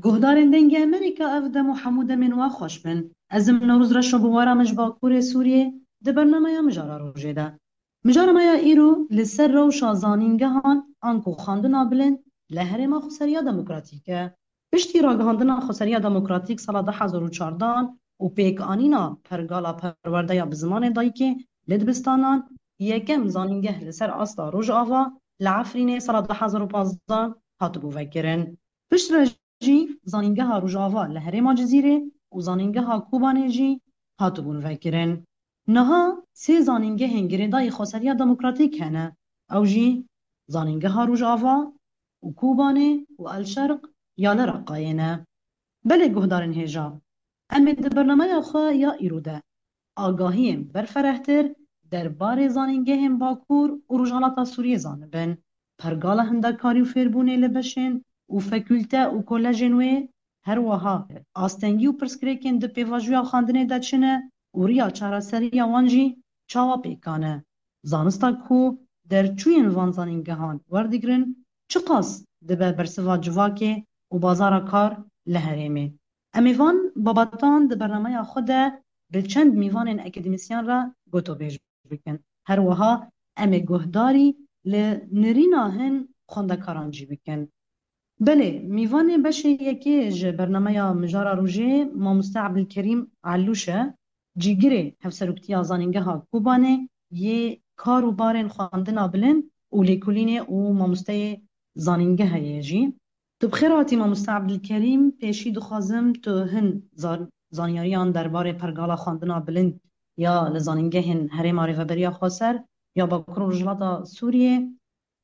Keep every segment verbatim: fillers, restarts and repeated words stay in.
Guhdarên Dengê Amerîka, ev dem û hemû demên we xweş bin. Ez im Newroz Reşo, bi we re me ji Bakurê Sûriyê di bernameya Mijara Rojê de. Mijara me ya îro li ser rewşa zanîngehan anku xwendina bilind li Herêma Xweseriya Demokratîk e. Piştî ragihandina Xweseriya Demokratîk sala du hezar û çardeh û pêkanîna pergala perwerdeya bi zimanê dayikê li dibistanan, yekem zanîngeh li ser asta Rojava li Efrînê sala du hezar û pazdeh hatibû vekirin. Piştre jî zanîngeha Rojava li herêma Cizîrê û zanîngeha Kobanê jî hatibûn vekirin. Niha sê zanîngehên girêdayî Xweseriya Demokratîk hene. Ew jî zanîngeha Rojava û Kobanê û El Şerq ya li Reqayê ne. Belê guhdarên hêja, em ê di bernameya xwe ya îro de agahiyên berferehtir derbarê zanîngehên Bakur û Rojhilata Sûriyê zanibin. Pergala hindekarî û fêrbûnê li beşên û fakulte û kolejên wê, her wiha astengî û pirsgirêkên di pêvajoya xwendinê de çi ne û riya çareseriya wan jî çawa pêkan e. Zanista ku derçûyên van zanîngehan werdigrin, çiqas dibe bersiva civakê û bazara kar li herêmê. Em ê van babetan di bernameya xwe de bi çend mîvanên akademîsyen re gotobêj bikin. Her wiha em ê guhdarî li nirîna hin xwendekaran jî bikin. Belê, mîvanê beşê yekê ji bernameya Mijara Rojê mamoste Ebdilkerîm Elûş e, cîgirê Hevseroktiya Zanîngeha Kobanê yê kar û barên xwendina bilind û lêkolînê û mamosteyê zanîngehê ye jî. Tu bi xêr hatî mamoste Ebdilkerîm, pêşî dixwazim tu hin zan-, zanyariyan derbarê pergala xwendina bilind ya li zanîngehên Herêma Rêveberiya Xweser ya Bakur û Rojhilata Sûriyê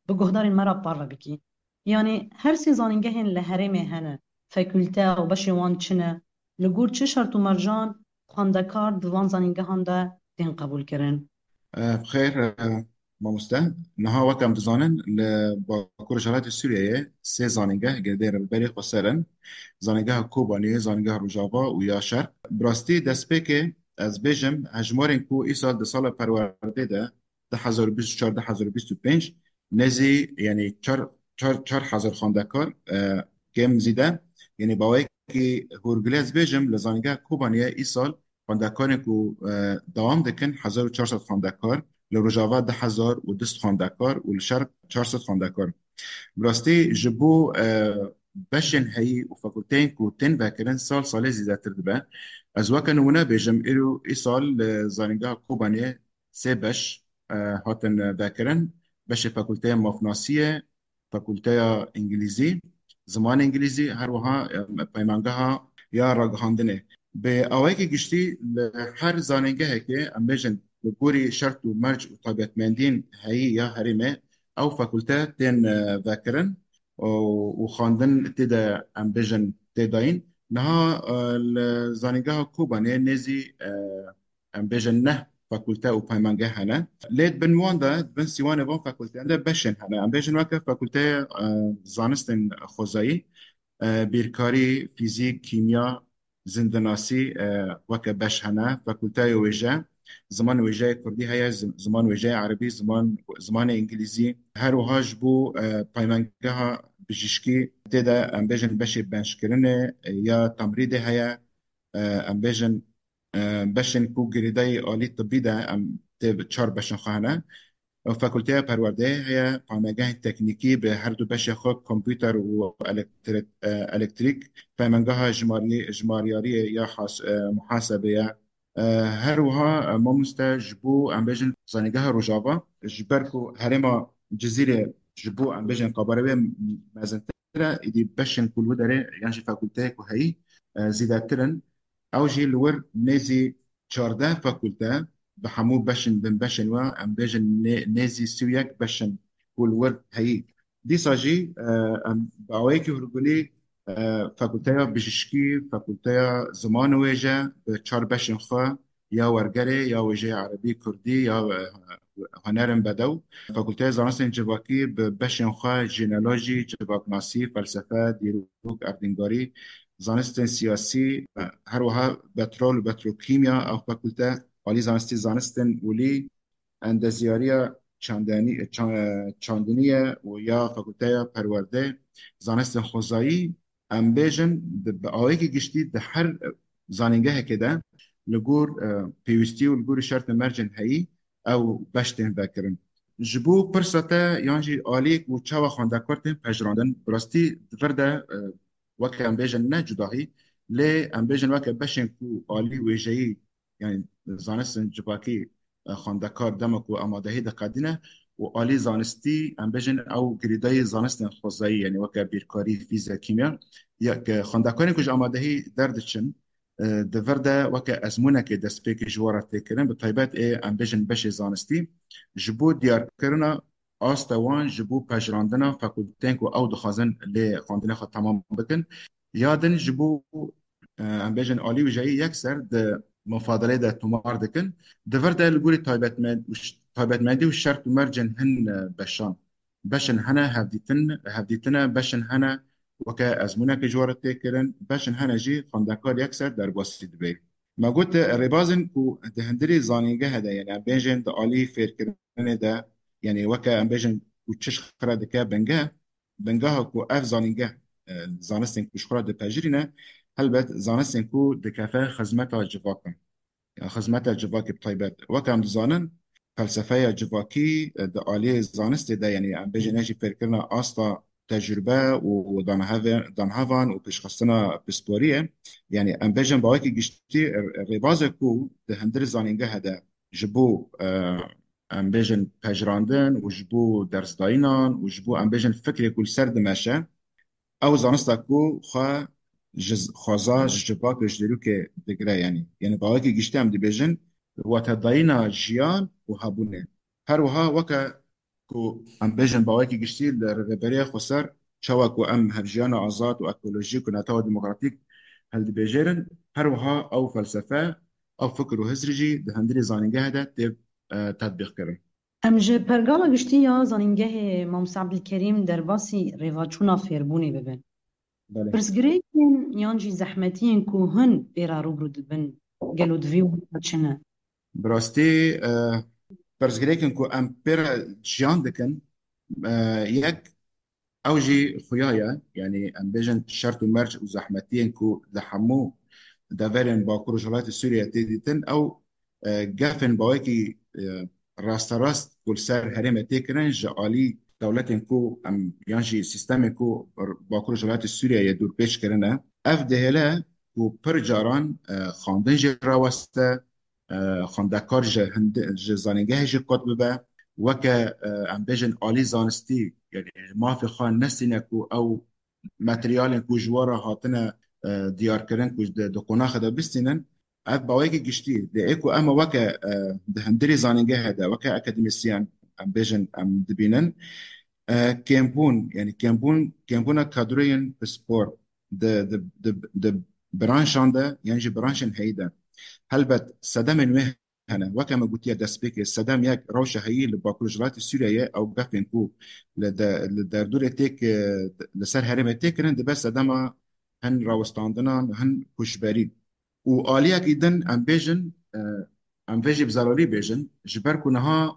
bi guhdarên me re parve bikî. Yanî her sê zanîngehên li herêmê hene, fakulte û beşên wan çi ne, li gor çi şert û mercan xwendekar di van zanîngehan de tên qebûlkirin? Eh, bi xêr, eh, mamoste. Niha wek em dizanin, li Bakur Rojhilatê Sûriyeyê sê zanîngeh girêdayî Rêveberê Xweser in. Zanîngeha Kobanê, Zanîngeha Rojava û ya Şerq. Bi rastî destpêkê ez bêjim, hejmarên ku îsal di sala perwerdê de, du hezar û bîst û çar, du hezar û bîst û pênc, nêzî, yanî çar, çar, çar hezar xwendekar, e, kêm zîde, yanî bawekî hûrgulî ez bêjim, li Zanîngeha Kobaniyê îsal xwendekarên ku, e, dewam dikin, hezar û çar sed xwendekar, li Rojava du hezar û du sed xwendekar û li Şerq çar sed xwendekar. Bi rastî ji bo, e, beşên heyî û fakulteyên ku tên vekirin sal salê zêdetir dibe. Ez weke nimûne bêjim, îro îsal li Zanîngeha Kobanê sê beş, e, hatin vekirin. Beşê fakulteya mafnasiyê, fakulteya îngilîzî, zimanê îngilîzî, her wiha, e, peymangeha ya ragihandinê. Bi awayekî giştî li her zanîngehekê, em bêjin, li gorî şert û merc û taybetmendiyên heyî ya herêmê, ew fakulte tên, e, vekirin û, û xwendin tê de, em bêjin, tê dayîn. Niha, e, li Zanîngeha Kobanê nêzî, e, em bêjin neh fakulte û peymangeh hene. Lê di bin wan de, di bin sîwanê van fakulteyan de beşên hene. Em bêjin weke fakulteya, e, zanistên xwezayî, e, bîrkarî, fîzîk, kîmya, zindinasî, e, weke beş hene. Fakulteya wêje, ziman wêjeyê kurdî heye, zi-, ziman wêjeyê erebî, ziman, zimanê îngilîzî. Her wiha ji bo, e, peymangeha bijîşkî tê de, em bêjin, beşê benşkirinê, e, ya temrîdê heye. E, em bêjin, e, beşên ku girêdayî alî tibî de em tê çar beşên xwe hene. Fakulteya perwerdeyê heye, peymangehên teknîkî bi her du beşê xwe, kompûter û elektri-, e, elektrîk, peymangeha jimarî-, jimaryariyê ya has-, e, muhasebê ye. E, her wiha, e, mamoste ji bo, em bêjin, zanîngeha Rojava, ji ber ku herêma Cizîrê ji bo, em bêjin, qebara wê mezintir e, îdî beşên ku li wî derê yan jî fakulteyê ku heyî, e, zêdetir in. Ew jî li wir nêzî çardeh fakulte, bi hemû beşên, binbeşên we, em bêjin nê-, nêzî sî û yek beşên ku li wir heyî. Dîsa jî, e, em bi awayekî hûrgulî, e, fakulteya bijîşkî, fakulteya ziman û wêje bi çar beşên xwe, ya wergerê, ya wêjeyê erebî, kurdî, ya, e, hunerên bedew, fakulteya zanistên civakî bi beşên xwe, jenealojî, civaknasî, felsefe, dîrok, erdnîgarî, zanistên siyasî, e, her wiha petrol û petrokîmya, ew fakulte alî zanistî, zanistên olî, endezyariya çandenî-, çan-, çandinî ye û ya fakulteya perwerde, zanistên xwezayî, em bêjin, di, bi awayekî giştî di her zanîngehekê de li gor, e, pêwîstî û li gorî şert û mercên heyî ew beş tên vekirin. Ji bo pirsa te yan jî aliyê ku çawa xwendekar tên pejirandin, bi rastî di vir de, e, weke em bêjin ne cudahî, lê em bêjin weke beşên ku alî wêjeyî, yani zanistên civakî, e, xwendekar dema ku amadehî diqedîne û alî zanistî, em bêjin ew girêdayî zanistên xwezayî, yani weke bîrkarî, fîzya, kîmya, ya ke xwendekarên ku ji amadehî derdiçin, e, di vir de weke ezmûnekê destpêkê ji we re tê kirin, bi taybet ê, em bêjin, beşê zanistî, ji bo diyarkirina asta wan ji bo pejirandina fakulteyên ku ew dixwazin lê xwendinê xwe temam bikin, ya din ji bo, e, em bêjin, alî wêjeyî yekser di mufadalê de tomar dikin. Di vir de li gorî taybetmend-, û ş-, taybetmendî û şert û mercên hin, e, beşan. Beşin hene hevdîtin, hevdîtine, beşin hene weke ezmûnekê ji we re tê kirin, beşin hene jî xwendekar yekser derbasî dibe. Me got, e, rêbazên ku di hundirê zanîngehê de, yani em bêjin di alî fêrkirinê de, yani weke em bêjin ku çi ji xwe re dike bingeh, bingeha ku ev zanîngeh, e, zanistên ku ji xwe re dipejirîne, helbet zanistên ku dikefe xizmeta civakan. Ya xizmeta civakê bi taybet. Weke em dizanin, felsefeya civakî, e, di aliyê zanistê de, yani em bêjin ne jî fêrkirina asta tecrûbe û danheve-, danhevan û pêşxistina pisporiyê, yani em bêjin bi awayekî giştî, e, rêbazek ku di hundirê zanîngehê de ji bo, e, em bêjin pejirandin û ji bo dersdayînan û ji bo em bêjin fikrê ku li ser dimeşe, ew zanista ku xwe ji z-, xweza ji civak û ji dîrokê digire, yani. Yani bi awayekî giştî em dibêjin watedayîna jiyan û hebûnê. Her wiha weke ku em bêjin bi awayekî giştî li Rêveberiya Xweser çawa ku em hevjiyana azad û ekolojîk û netewa demokratîk hildibêjêrin, her wiha ew felsefe, ew fikir û hizrî jî di hundirê zanîngehê de tê, e, tetbîqkirin. Em ji pergala giştî ya zanîngehê Mamoste Ebdilkerîm derbasî rêvaçûna fêrbûnê bibin. Belê. Pirsgirêkên yan jî zehmetiyên ku hûn pê re rûbirû dibin, gelo divê wan çi ne? Bi rastî, e, pirsgirêkên ku em pê re jiyan dikin, e, yek ew jî xuya ye, yani em bêjin şert û merc û zehmetiyên ku li hemû deverên Bakur Rojhilatê Sûriyê tê dîtin, ew, e, gefên bawekî, e, rasterast ku li ser herêmê tê kirin ji alî dewletên ku em yan jî sîstemên ku Bakur Rojhilatê Sûriyeyê dûrpêç kirine. Ev dihêle ku pir caran, e, xwendin jî raweste, e, xwendekar ji hindi-, ji zanîngehê jî qut bibe, weke, e, em bêjin alî zanistî, yani mafê xwe nesîne ku ew materyalên ku ji we re hatine, e, diyarkirin ku di, di qonaxê de bistînin, ev bawekî giştî, lê ê ku em weke, e, di hundirê zanîngehê de, weke akademîsyen, em bêjin, em dibînin, e, kêmbûn, yani kêmbûn, kêmbûna kadroyên pispor di, di, di, di branşan de, yan jî branşên heyî de. Helbet sedemên wê hene. Weke me gotiye destpêkê, sedem yek rewşa heyî li Bakur Rojhilatê Sûriyeyê, ew gefên ku li de-, li derdorê têk, e, li ser herêmê tê kirin, dibe sedema hin rawistandinan, hin koçberî. Û aliyekî din em bêjin, e, em vê jî bi zararî bêjin, ji ber ku niha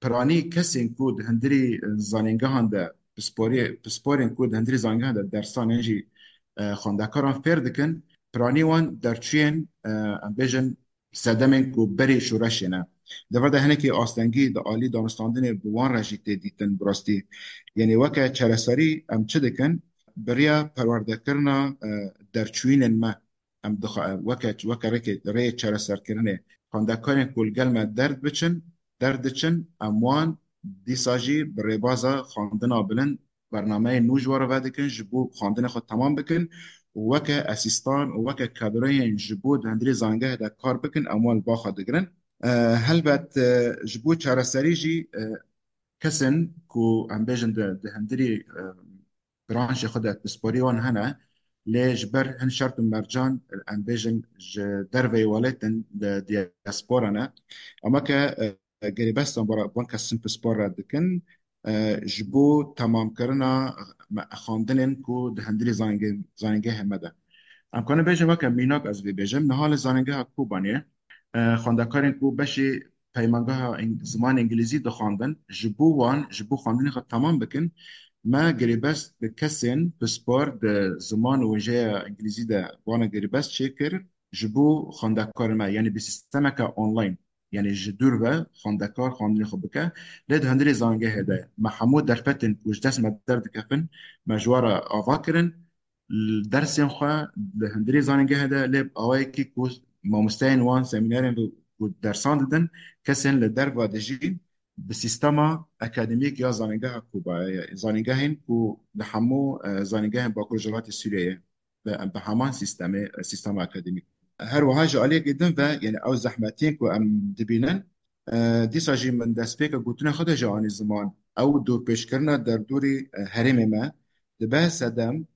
piranî kesên ku di hundirî, e, zanîngehan de pisporê-, pisporên ku di hundirî zanîngehan de dersan yan jî, e, xwendekaran fêr dikin, piranî wan derçûyên, e, em bêjin sedemên ku berî şoreşê ne. Di vir de hinekî astengî di alî danûstandinê bi wan re jî tê dîtin bi rastî. Yanî weke çareserî em çi dikin? Bi riya perwerdekirina, e, derçûyînên me em dixa-, weke, weke rêkê, rêyê çareserkirinê xwendekarên ku li gel me derd biçin, derdiçin, em wan dîsa jî bi rêbaza xwendina bilind bernameyên nû ji we re vedikin, ji bo xwendinê xwe temam bikin û weke asîstan û weke kadroyên ji bo di hundirê zanîngehê de kar bikin, em wan li ba xwe digirin. E, helbet, e, ji bo çareserî jî, e, kesên ku em bêjin di, di hundirê, e, branşê xwe de pisporî wan hene, lê ji ber hin şert û mercan, em bêjin, ji derveyî welatên li diaspora ne. Ama ke, e, girêbestan bi wan kesin pispor re dikin, e, ji bo temamkirina me-, xwendinên ku di hundirê zanînge-, zanîngehê me de. Em karin bêjin weke mînak ez vê bêjim, niha li zanîngeha Kobanê, e, xwendekarên ku beşê peymangeha eng-, zimanê îngilîzî dixwandin, ji bo wan, ji bo xwendinê xwe temam bikin, me girêbest bi kesên pispor di ziman û wêjeya îngilîzî de wana girêbest çêkir ji bo xwendekarên me, yanî bi sîstemeke online, yanî ji dûr ve xwendekar xwendinê xwe bike. Lê di hundirê zanîngehê de me hemû derfetên ku ji dest me derdikevin, me ji wan re ava kirin. Dersên xwe li hundirê zanîngehê de, lê bi awayekî ku mamosteyên wan semînerên ku dersan didin, kesên li derva dijîn, bi sîstema akademîk ya zanîngeha Kubayê, zanîngehên ku li hemû, e, zanîngehên Bakur Rojhilatê Sûriyeyê bi, bi heman sîstemê, sîstema akademîk. Her wiha ji aliyekî din ve, yani ew zehmetiyên ku em dibînin, e, dîsa jî min destpêka gotina xwe de jî anî ziman. Ew dorpêçkirina derdorî, e, herêmê me dibe sedem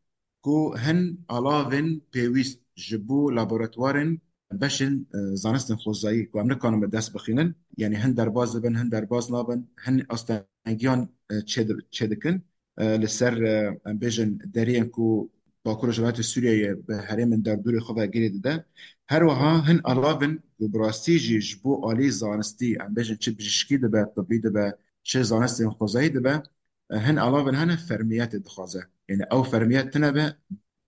ku hin alavên pêwîst ji bo laboratuwarên beşên, e, zanistên xwezayî ku em nikarin bi dest bixînin, yani hin derbas dibin, hin derbas nabin, hin astengiyan, e, çêdi-, çêdikin, e, li ser, e, em bêjin deriyên ku Bakur Rojhilatê Sûriyeyê bi herêmên derdorê xwe ve girê dide. Her wiha hin alavên ku bi rastî jî ji bo alî zanistî, em bêjin çi bijîşkî dibe, tibî dibe, çi zanistên xwezayî dibe, e, hin alavên hene fermiyetê dixwaze. Yani ew fermiyet tune be,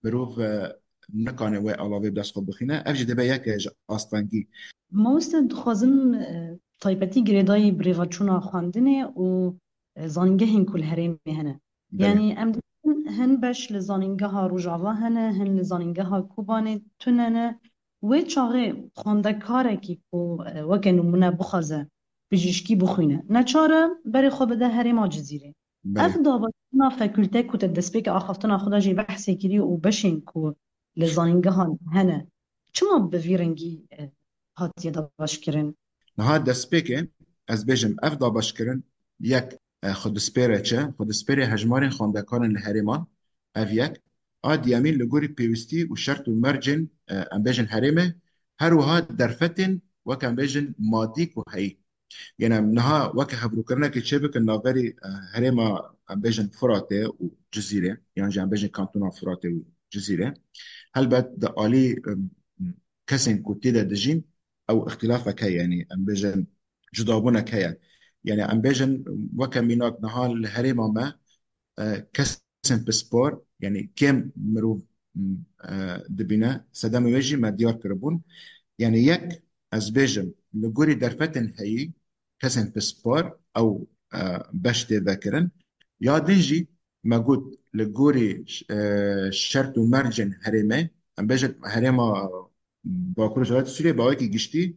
mirov, e, nikane wê alavê bi dest xwe bixîne. Ev jî dibe yeke ji astengî. Mamoste, dixwazim, e, taybetî girêdayî bi rêveçûna xwendinê û, e, zanîngehên ku li herêmê hene. Belê. Yanî em dibînin hin beş li zanîngeha Rojava hene, hin li zanîngeha Kobanê tune ne. Wê çaxê xwendekarekî ku, e, weke nimûne bixwaze bijîşkî bixwîne, neçar e berê xwe bide herêma Cizîrê. Belê. Ev dabeşkirina fakulte ku te destpêkê axaftina xwe de jî behsê kirî û beşên ku li zanîngehan hene, çima bi vî rengî, e, hatiye dabeşkirin? Niha destpêkê ez bêjim, ev dabeşkirin yek, e, xwedispêre çi, xwedispêrê hejmarên xwendekarên li herêman, ev yek. A diyemîn li gorî pêwîstî û şert û mercên, e, em bêjin herêmê, her wiha derfetên wek em bêjin madî ku heyî. Yanî em niha weke hevrokirinekê çêbikin navberî, e, herêma, em bêjin Firatê û Cizîrê, yan jî em bêjin kantona Firatê û Cizîrê. Helbet di alî, em, kesên ku tê de dijîn, ew îxtîlafek heye, yanî em bêjin cudabûnek heye. Yanî em bêjin weke mînak niha li herêma me, e, kesên pispor, yanî kêm mirov, m, e, dibîne, sedemê wê jî me diyar kiribûn. Yanî yek, ez bêjim, li gorî derfetên heyî, kesên pispor, ew, e, beş tê vekirin. Ya din jî me got, li gorî, e, şert û mercên herêmê, em bêjin herêma Bakur Rojhilatê Sûriyê bi awekî giştî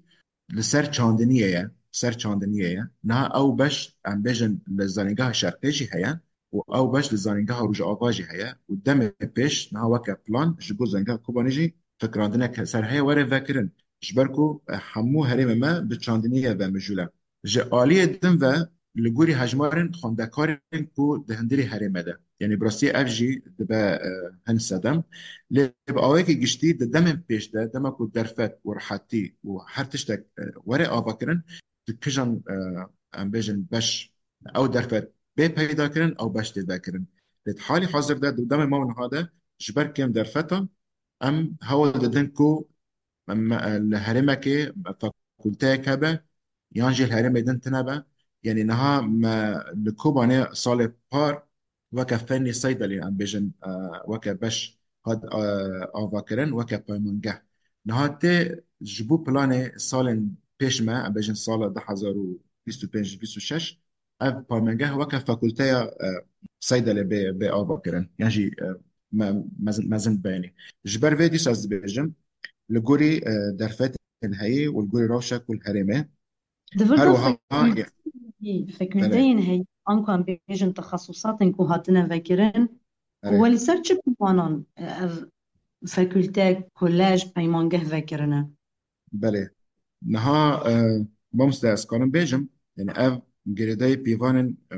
li ser çandiniyê ye, ser çandiniyê ye. Niha ew beş, em bêjin, li zanîngeha şerqê jî heye û ew beş li zanîngeha Rojava jî heye û demê pêş niha weke plan ji bo zanîngeha Kobanê jî fikirandineke ser heye were vekirin. Ji ber ku, e, hemû herêmê me bi çandiniyê ve mijûl e. Ji aliyê din ve li gorî hejmarên xwendekarên ku di hundirê herêmê de, yanî bi rastî ev jî dibe, e, hin sedem. Lê bi awayekî giştî di demên pêş de, dema ku derfet û rihetî û her tiştek, e, were avakirin, di kijan, e, em bêjin beş, ew derfet bê peyda kirin, ew beş tê vekirin. Lê di halî hazir de, di demê me û niha de ji ber kêm derfetan em hewl didin ku em, e, li herêmekê fakulteyek hebe, yan jî li herêmê din tune be. Yanî niha me li Kobanê salê par weke fennê seydelê, em bêjin, e, weke beş hat, e, avakirin, weke paymangeh. Niha tê ji bo planê salên pêş me, em bêjin sala du hezar û bîst û pênc bîst û şeş, ev paymangeh weke fakulteya, e, seydelê bê, bê avakirin. Yan jî, e, me-, mezin, mezin bênî. Ji ber vê dîsa ez dibêjim, li gorî, e, derfetên heyî û li gorî rewşa ku li herêmê. Di vir Her de wiha, fakulteyên, belê, fakulteyên heyî, anku em bêjin texesusatên ku hatine vekirin, belê, we li ser çi pîvanan, e, ev fakulte, kolej, peymangeh vekirine? Belê. Niha, e, mamoste, ez karim bêjim, yani ev girêdayî pîvanên, e,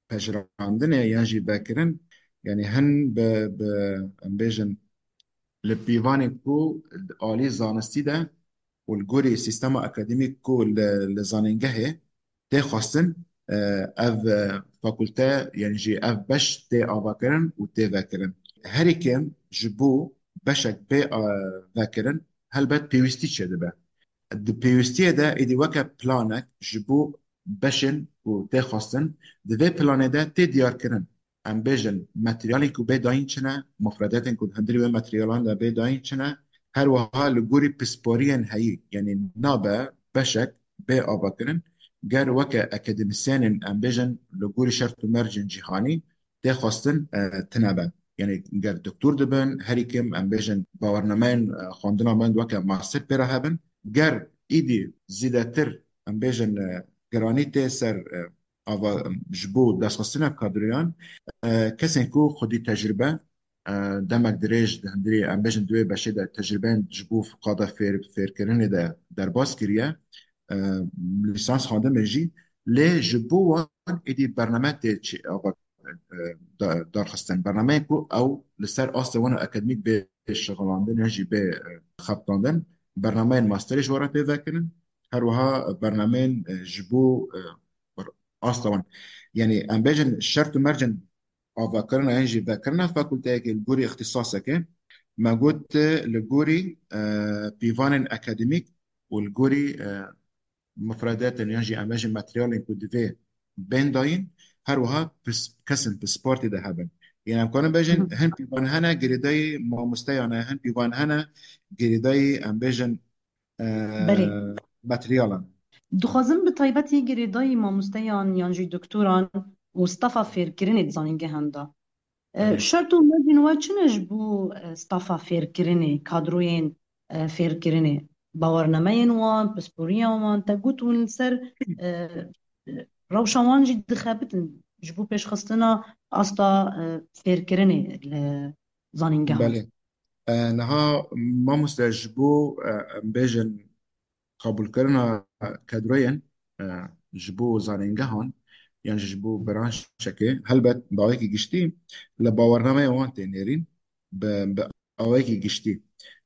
pejirandinê yan jî vekirin, yani hin bi, bi, em bêjin, li pîvanê ku alî zanistî de û li gorî sîstema akademîk ku li, li zanîngehê tê xwestin, e, ev, e, fakulte, yani jî ev beş tê avakirin û tê vekirin. Herî kêm ji bo beşek bê, e, vekirin, helbet pêwîstî çêdibe. Di pêwîstiyê de êdî weke planek ji bo beşên ku tê xwestin, di vê planê de tê diyarkirin. em bêjin, materyalên ku bê dayîn çi ne, mufredatên ku di hundirî wê materyalan de bê dayîn çi ne, her wiha li gorî pisporiyên heyî, yanî nabe beşek bê avakirin, ger weke akademîsyenên, em bêjin, li gorî şert û mercên cîhanî tê xwestin, e, tune be. Yanî ger doktor dibin, herî kêm, em bêjin, bawernameyên, e, xwendina me weke master pê re hebin. Ger îdî zêdetir, em bêjin, e, giranî tê ser, e, ava, ji bo destxistina kadroyan, e, kesên ku xwedî tecrübe, e, demek dirêj di hundirê, em bêjin, di wê beşê de tecrübeyên ji bo qada fêr-, fêrkirinê de derbas kiriye, e, lîsans xwendin jî, lê ji bo wan êdî bername tê çi-, ava, e, da-, darxistin. Bernameyên ku ew li ser astê wan akademîk bê şixulandin yan jî bê, e, xebitandin. Bernameyên masterê ji we re tê vekirin. Her wiha bernameyên, e, ji bo, e, asta wan. Yanî em bêjin şert û mercên avakirina yan jî vekirina fakulteyekê li gorî îxtîsaseke, me got, e, li gorî, e, pîvanên akademîk û li gorî, e, mufredatên yan jî em bêjin materyalên ku divê bên dayîn, her wiha pis-, kesên pispor tê de hebin. Yanî em karin bêjin, Hı hı. hin pîvan hene girêdayî mamosteyan e, hin pîvan hene girêdayî em bêjin, e, Belê. materyalan. Dixwazim bi taybetî girêdayî mamosteyan yan jî doktoran û stafa fêrkirinê di zanîngehan de. E, Belê. şert û mercên we çi ne ji bo, e, stafa fêrkirinê, kadroyên, e, fêrkirinê? Bawernemeyên wan, pisporiya wan, te got hûn li ser, e, rewşa wan jî dixebitin ji bo pêşxistina asta, e, fêrkirinê li zanîngehan. Belê. E, niha mamoste ji bo, e, em bêjin, qebûlkirina kadroyên, e, ji bo zanîngehan yan jî ji bo branşekê, helbet bi awayekî giştî li bawernameya wan tê nêrîn, bi, bi awayekî giştî.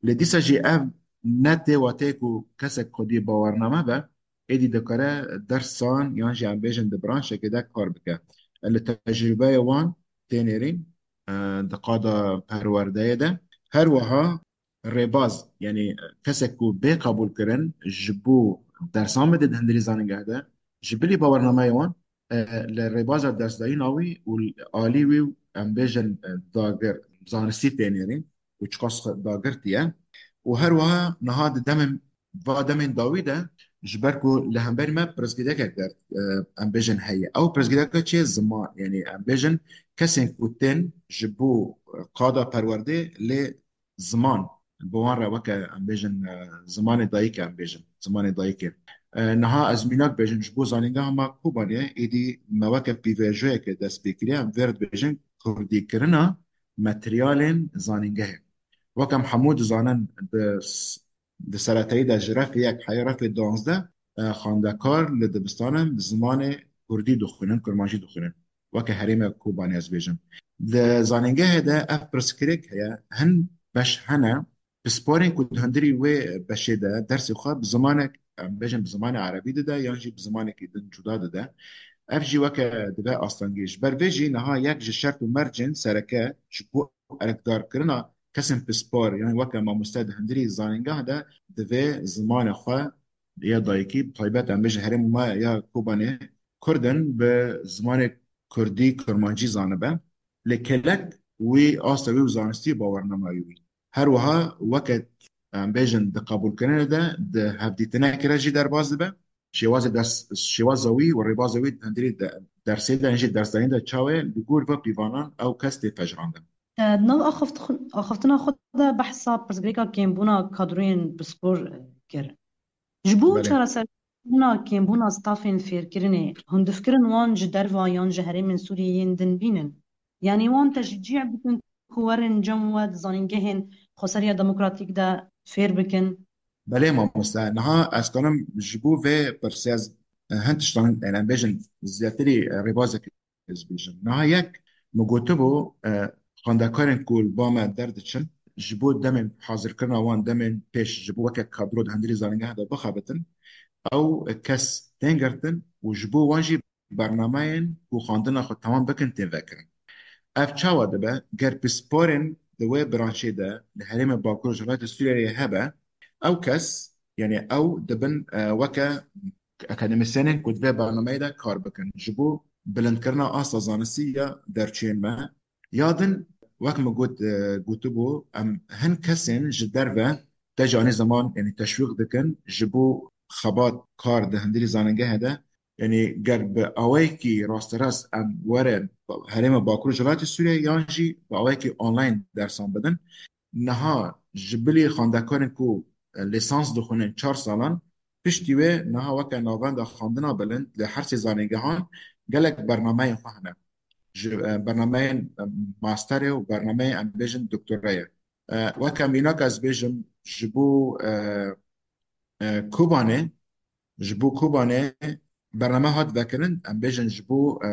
Lê dîsa jî ev ne tê wateyê ku kesek xwedî bawername be, êdî dikare dersan yan jî em bêjin di branşekê de kar bike. Li tecrûbeya wan tê nêrîn, e, di qada perwerdeyê de. Her wiha rêbaz, yanî kesek ku bê qebûlkirin ji bo dersan bide di hundirî zanîngeh de, ji bilî bawernameyê wan, e, li rêbaza dersdayîna wî û alî wî û em bêjin, e, dagir, zanistî tê nêrîn û çiqas dagirtî ye. Û her wiha niha di demên, va demên dawî de, ji ber ku li hemberî me pirsgirêkek der, e, em bêjin heye. Ew pirsgirêka çi ye? Ziman. Yanî em bêjin kesên ku tên ji bo, e, qada perwerdê lê ziman, bi wan re weke, em bêjin, e, zimanê dayikê, em bêjin, zimanê dayikê. E, niha ez mînak bêjim, ji bo zanîngeha me Kobanê, êdî me weke pîvejoyeke dest pê kiriye, em vê re dibêjin kurdîkirina materyalên zanîngehê. Weke em hemû dizanin, di s-, di seretayî de ji refê yek heye refê duwazdeh, e, xwendekar li dibistanan bi zimanê kurdî dixwînin, kurmancî dixwînin. Weke herêma Kobanê ez bêjim. Di zanîngehê de ev pirsgirêk heye, hin beş hene, pisporên ku di hundirî wê beşê de dersê xwe bi zimanek, em bêjin bi zimanê erebî dide yan jî bi zimanekî din cuda dide. Ev jî weke dibe astengî. Ji ber vê jî niha yek ji şert û mercên sereke ji bo erkdarkirina kesên pispor, yan weke mamoste di hundirî zanîngeh de divê zimanê xwe ya dayikî, bi taybet em bêjin herêma me ya Kobanê, Kurd in, bi zimanê kurdî, kurmancî zanibe. Lê kelek wî, asta wî û zanistî bawernamayî wî. Her wiha weke, em bêjin, di qebûlkirinê de di hevdîtinekê re jî derbas dibe. Şêwazê ders, şêwaza wî û rêbaza wî di hundirî de, dersê de, jî dersdayîn de çawa ye, li gor ve pîvanan ew kes tê pejirandin. E, di nav axaft-, axaftina xwe de behsa pirsgirêka kêmbûna kadroyên pispor, e, kir. Ji bo Belê. çareserkirina kêmbûna stafên fêrkirinê, hundirkirin wan ji derva yan ji herêmên Sûriyê yên din bînin. Yanî wan teşcî bikin ku werin cem we di zanîngehên xweseriya demokratîk de fêr bikin. Belê mamoste, niha ez karim ji bo vê pirsê ez, e, hin tiştan, yani em bêjin zêdetirî, e, rêbazek ez bêjim. Niha yek, min gotibû, e, xwendekarên ku li ba me derdiçin, ji bo demên hazirkirina wan, demên pêş, ji bo weke kadro di hundirî zanîngeha de bixebitin, ew kes tên girtin û ji bo wan jî bernameyên ku xwendina xwe temam bikin tên vekirin. Ev çawa dibe? Ger pisporên di wê branşê de li herêmê Bakur û Rojhilatê Sûriyeyê hebe, ew kes, yani ew dibin, e, weke akademîsyenên ku di vê bernameyê de kar bikin. Ji bo bilindkirina asta zanistî ya derçiyên me. Ya din, wek min got, e, gotibû, em hin kesên ji derve te ji anî ziman, yanî teşwîq dikin ji bo xebat kar di hundirî zanîngehê de. Yanî ger bi awayekî rasterast em werin herêma Bakur û Rojhilatê Sûriyê yan jî bi awayekî online dersan bidin. Niha ji bilî xwendekarên ku, e, lîsans dixwînin çar salan, piştî wê niha weke navenda xwendina bilind li her sê zanîngehan gelek bernameyên xwe hene. Ji, e, bernameyên, e, masterê û bernameyên, em bêjin, doktorayê. E, weke mînak ez bêjim, ji bo, e, e, Kobanê, ji bo Kobanê bername hat vekirin, em bêjin ji bo, e,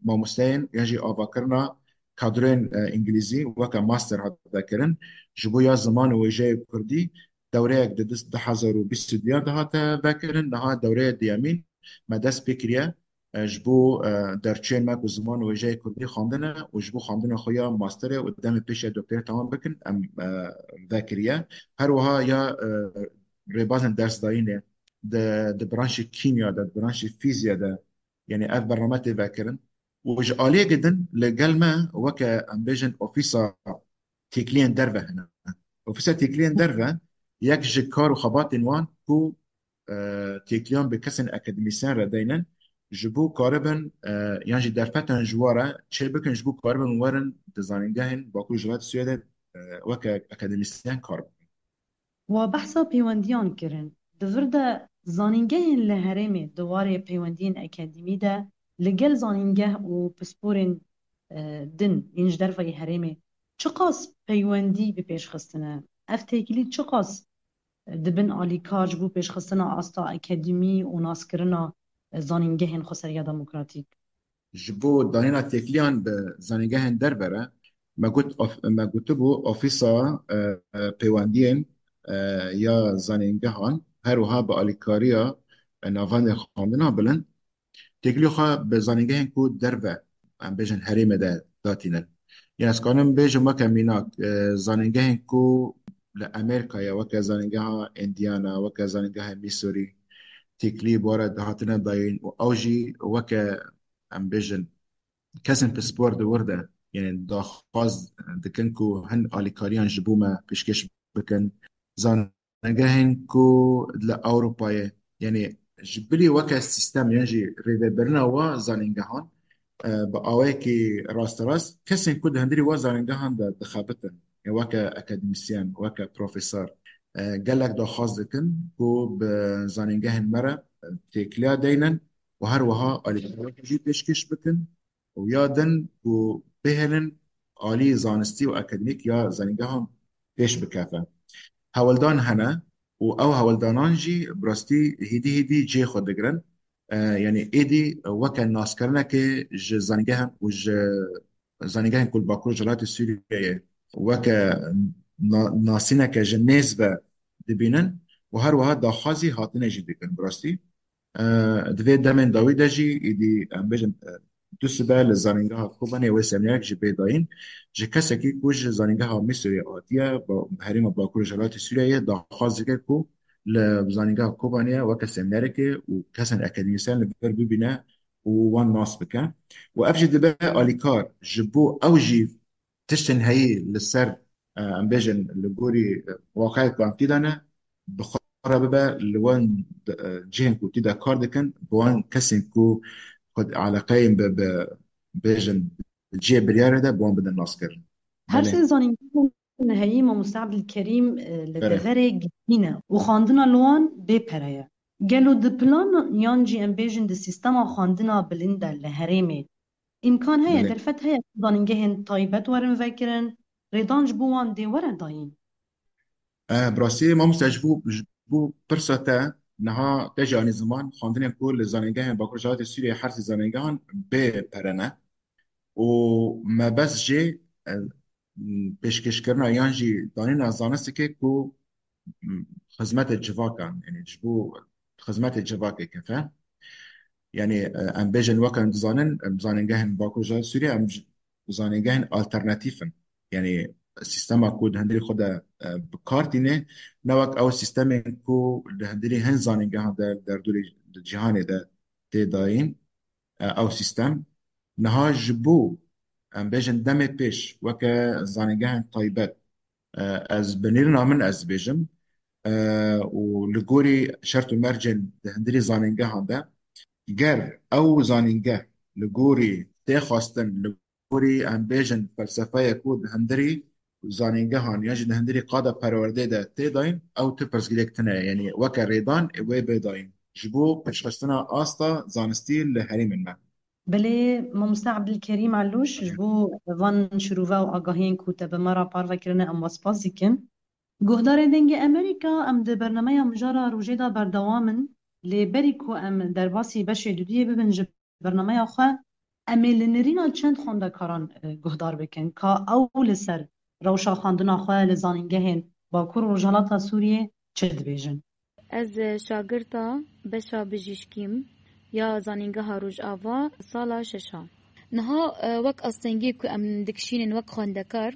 mamosteyên yan jî avakirina kadroyên, e, îngilîzî weke master hat vekirin. Ji bo ya ziman û wêjeyê kurdî dewreyek di du hezar û bîst û duyan de hate vekirin, niha dewreya duyemîn me dest pê kiriye, e, ji bo, e, derçiyên me ku ziman û wêjeyê kurdî xwendine û ji bo xwendina xwe ya masterê û demê pêşiya doktorê temam bikin, em, e, vekiriye. Her wiha ya, e, rêbazên dersdayînê di, di branşê kîmya de, di branşê fîzya de, yanî ev bername tê vekirin. Û ji aliyekê din li gel me weke, em bêjin, ofîsa têkiliyên derve hene. Ofîsa têkiliyên derve yek ji kar û xebatên wan ku, e, têkiliyan bi kesên akademîsyen re deynin, ji bo karibin, e, yan jî derfetan ji wa re çêbikin, ji bo karibin werin di zanîngehên Bakur û Rojhilatê Sûriyê de, e, weke akademîsyen kar bikin. We behsa pêwendiyan kirin. Di vir de zanîngehên li herêmê di warê peywendiyên akademî de li gel zanîngeh û pisporên, e, din yên ji derveyî herêmê çiqas peywendî bi pêş xistine? Ev têkilî çiqas di bin alîkar ji bo pêşxistina asta akademî û naskirina zanîngehên xweseriya demokratîk? Ji bo danîna têkiliyan bi zanîngehên derve re, me got of-, me gotibû ofîsa, e, e, peywendiyên, e, ya zanîngehan, her wiha bi alîkariya, e, navendên xwendina bilind, têkilî xwe bi zanîngehên ku derve, em bêjin, herêmê de datînin. Yanî ez kanim bêjim weke mînak, e, zanîngehên ku li Amerîkayê, weke zanîngeha Indiana, weke zanîngeha Missouri, têkilî bi we re dihatine dayîn û ew jî weke, em bêjin, kesên pispor di wir de, yanî daxwaz dikin ku hin alîkariyan ji bo me pêşkêş bikin. Zan- Zanîngehên ku li Ewropayê, yanî ji bilî weke sîstem yan jî rêvebirina wa zanîngehan, e, bi awayekî rasterast kesên ku di hundirî wa zanîngehan de dixebitin, ya weke akademîsyen, weke profesor, e, gelek daxwaz dikin ku bi zanîngehên me re, e, têkiliya deynin û her wiha alîkariyek jî pêşkêş bikin. û ya din ku bihêlin alî zanistî û akademîk ya zanîngehan pêş bikeve. Hewldan hene û ew hewldanan jî bi rastî hêdî hêdî cihê xwe digirin. E, yanî êdî weke naskirinekê ji zanîngehan û ji zanîngehên ku li Bakur Rojhilatê Sûriyeyê weke na-, nasîneke ji nêz ve dibînin û her wiha daxwazî hatinê jî dikin bi rastî. E, di vê demên dawî de jî êdî, em bêjin, e, du sibe li zanîngeha Kobanê wê semînerek jî bê dayîn. Ji kesekî ku ji zanîngeha Misirê hatiye, ba-, herêma Bakur Rojhilatê Sûriyeyê daxwaz dike ku li zanîngeha Kobanê weke semînerekê û kesên akademîsyen li vir bibîne û wan nas bike. Û ev jî dibe alîkar ji bo ew jî tiştên heyî li ser, e, em bêjin, li gorî, e, waqeyê ku em tî de ne, bi xwe re bibe li wan, e, cihên ku tî de kar dikin, bi wan kesên ku xwe eleqeyên bi, bi, bêjin, cihê biryarê de, bi wan bidin naskirin. Her Belê. sê zanîngehên heyî, Mamoste Ebdilkerîm, e, li Belê. deverê girtî ne û xwendina li wan bê pere ye. Gelo di plan yan jî em bêjin di sîstema xwendina bilind de li herêmê îmkan heye, Belê. derfet heye ku zanîngehên taybet werin vekirin, rêdan ji bo wan dê were dayîn? E, bi rastî, mamoste, ji bo, ji bo pirsa te, niha te jî anî ziman, xwendinên ku li zanîngehên Bakur Rojhilatê Sûriyeyê, her sê zanîngehan bê pere ne û mebest jê, e, pêşkêşkirina yan jî danîna zanistikê ku, m, xizmetê civakan, yanî ji bo xizmetê civakê kefe. Yanî, e, em bêjin, weke em dizanin, em zanîngehên Bakur Rojhilatê Sûriyê, em j-, zanîngehên alternatîf in. Yanî sîstema ku di hundirî xwe de, e, bi kar tîne, ne wek ew sîstemên ku di hundirî hin zanîngehan de, derdorê, di cîhanê de tê dayîn. e, ew sîstem. Niha ji bo, em bêjin, demê pêş weke zanîngehên taybet, e, ez binêrina min ez dibêjim, e, û li gorî şert û mercên di hundirî zanîngehan de, ger ew zanîngeh li gorî tê xwestin, li gorî, em bêjin, felsefeyê ku di hundirî zanîngehan yan jî di hundirî qada perwerdê de tê dayîn, ew tu pirsgirêk tune ye. Yanî weke rêdan ê wê bê dayîn ji bo pêşxistina asta zanistî li herêmên me. Belê, mamoste Ebdilkerîm Elûş, ji bo van şirove û agahiyên ku te bi me re parve kirine, em we spas dikin. Guhdarên Dengê Amerîka, em di bernameya mijara rojê de berdewam in, lê berî ku em derbasî beşê duduyê bibin ji bernameya xwe, em ê li nirîna çend xwendekaran, e, guhdar bikin, ka ew li ser rewşa xwendina xwe li zanîngehên Bakur û Rojhilata Sûriyê çi dibêjin. Ez, e, şagirta beşa bijîşkî im ya Zanîngeha Rojava sala şeşa. Niha, e, wek astengiyê ku em dikişînin wek xwendekar,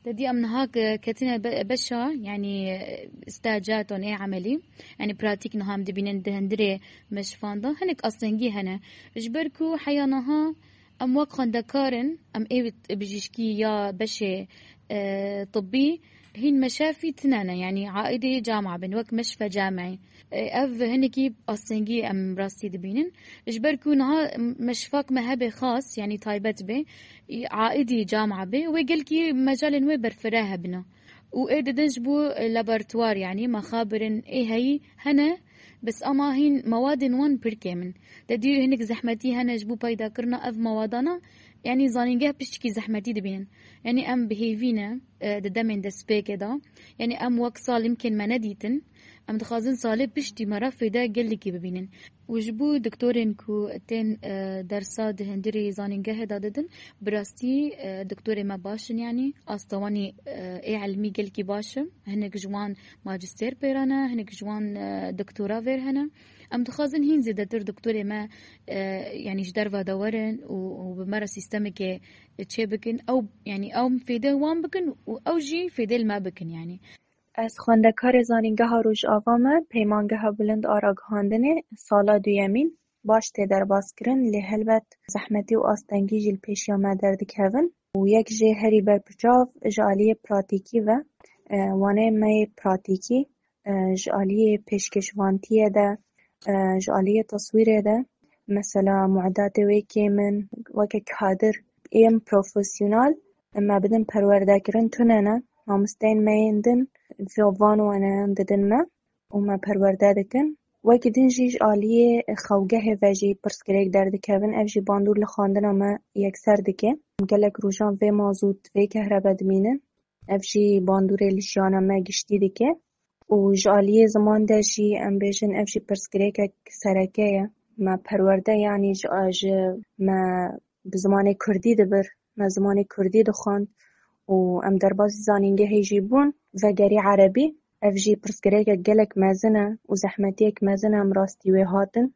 te dî em niha ke-, ketine be-, beşa, yanî, e, staja ton ê emelî, yanî pratîk niha em dibînin di hundirê meşifan de. Hinek astengî hene. Ji ber ku heya niha em wek xwendekar in, em ê bijîşkî ya beşê, e, tibbî hîn meşafî tine ne, yanî aîdê camia bin, wek meşfe camî. E, ev hinekî astengî em rastî dibînin. Ji ber ku niha meşfak me hebe xas, yanî taybet be, aîdî camia be, wê gelkî mecalên wê berfireh hebine. Û ê didin ji bo laboratuwar, yanî mexabirin ê heyî hene, bes ama hîn mewadên wan pir kêm in. Te dî hinek zehmetî hene ji bo peyda kirina ev mewadana, yanî zanîngeh piştikî zehmetî dibînin. Yanî em bi hêvî ne, e, di demên destpêkê de. Yanî em wek sal imkên me nedîtin. Em dixwazin salê piştî me re fêde gelekî bibînin. Û ji bo doktorên ku tên, e, dersa di hundirê zanîngehê de didin, bi rastî, e, doktorê me baş in, yanî asta wan ê, e, ê ilmî gelkî baş in. Hinek ji wan majistêr pêra ne, hinek ji wan, e, doktora vêr hene. Em dixwazin hîn zêdetir doktorê me, e, yanî ji derve de werin û, û bi me re sîstemekê çê bikin. Ew, yanî ew fêdê wan bikin û ew jî fêdê li me bikin, yanî. Ez xwendekarê Zanîngeha Rojava me, Peymangeha Bilind a Ragihandinê, sala duyemîn, baş tê derbas kirin, lê helbet zehmetî û astengî jî li pêşiya me derdikevin. Û yek jê herî berpiçav ji aliyê pratîkî ve, e, waneyên me yê pratîkî, e, ji aliyê pêşkêşvantiyê de, e, ji aliyê teswîrê de, mesela muedatê wê kêm in, weke kadir ên profesyonel, me bidin perwerdekirin tune ne. Mamosteyên me yên din van waneyan didin me û me perwerde dikin. Wekî din jî ji aliyê xewgehê ve jî pirsgirêk derdikevin. Ev jî bandor li xwendina me yekser dike. Gelek rojan vê mazût, vê kehrebe dimînin. Ev jî bandorê li jiyana me giştî dike. Û ji aliyê ziman de jî em bêjin ev jî pirsgirêkek sereke ye. Me perwerde, yanî ji, ji me bi zimanê kurdî dibir, me zimanê kurdî dixwend û em derbasî zanîngehê jî bûn, vegerî erebî. Ev jî pirsgirêkek gelek mezin e û zehmetiyek mezin e, em rastî wê hatin.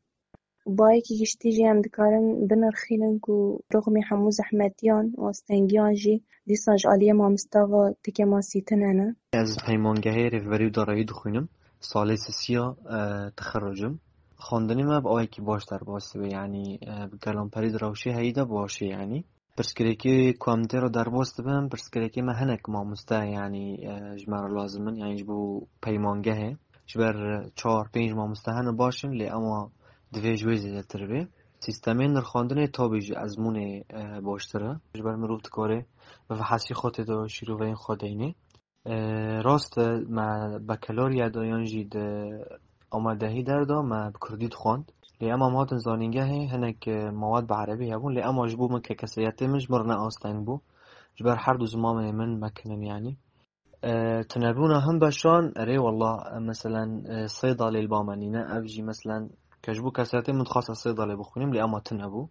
Û bayekî giştî jî em dikarin binirxînin ku rixmî hemû zehmetiyan û astengiyan jî dîsa ji aliyê mamosta ve ti kêmasî tune ne. Ez peymangehê rêvberî û darayî dixwînim. Salê sisiya, e, texerruc im. Xwendinê me bi awekî baş derbas dibe, yanî, e, bi gelamperî di rewşê heyî de baş e, yanî. Pirsgirêkê ku em tê re derbas dibin, pirsgirêkê me hinek mamoste, yanî, e, ji me re lazim in, yanî ji bo peymangehê. Ji ber çar pênc mamoste hene baş in, lê ema divê ji wê zêdetir bê. Sîstemê nirxandinê tabî ji ezmûnê, e, baştir e. Ji ber mirov dikare bi vehesî xwe tê de şîroveyên xwe deynê. E, rast e, me bakalorya de yan jî di amadehî derda me bi kurdî dixwand. Lê ema em hatin zanîngehê hinek, e, mewad bi erebî hebûn, lê ema ji bo min ke kesayetê min ji min re ne asteng bû. Ji ber her du zimanê min me kirin, yanî. E, tunebûna hin beşan, erê, wallah, e, meselen, e, sêdalê li ba me nîne, ev jî, meselen, ke ji bo kesayetê min dixwast ez sêdalê bixwînim, lê ema tune bû.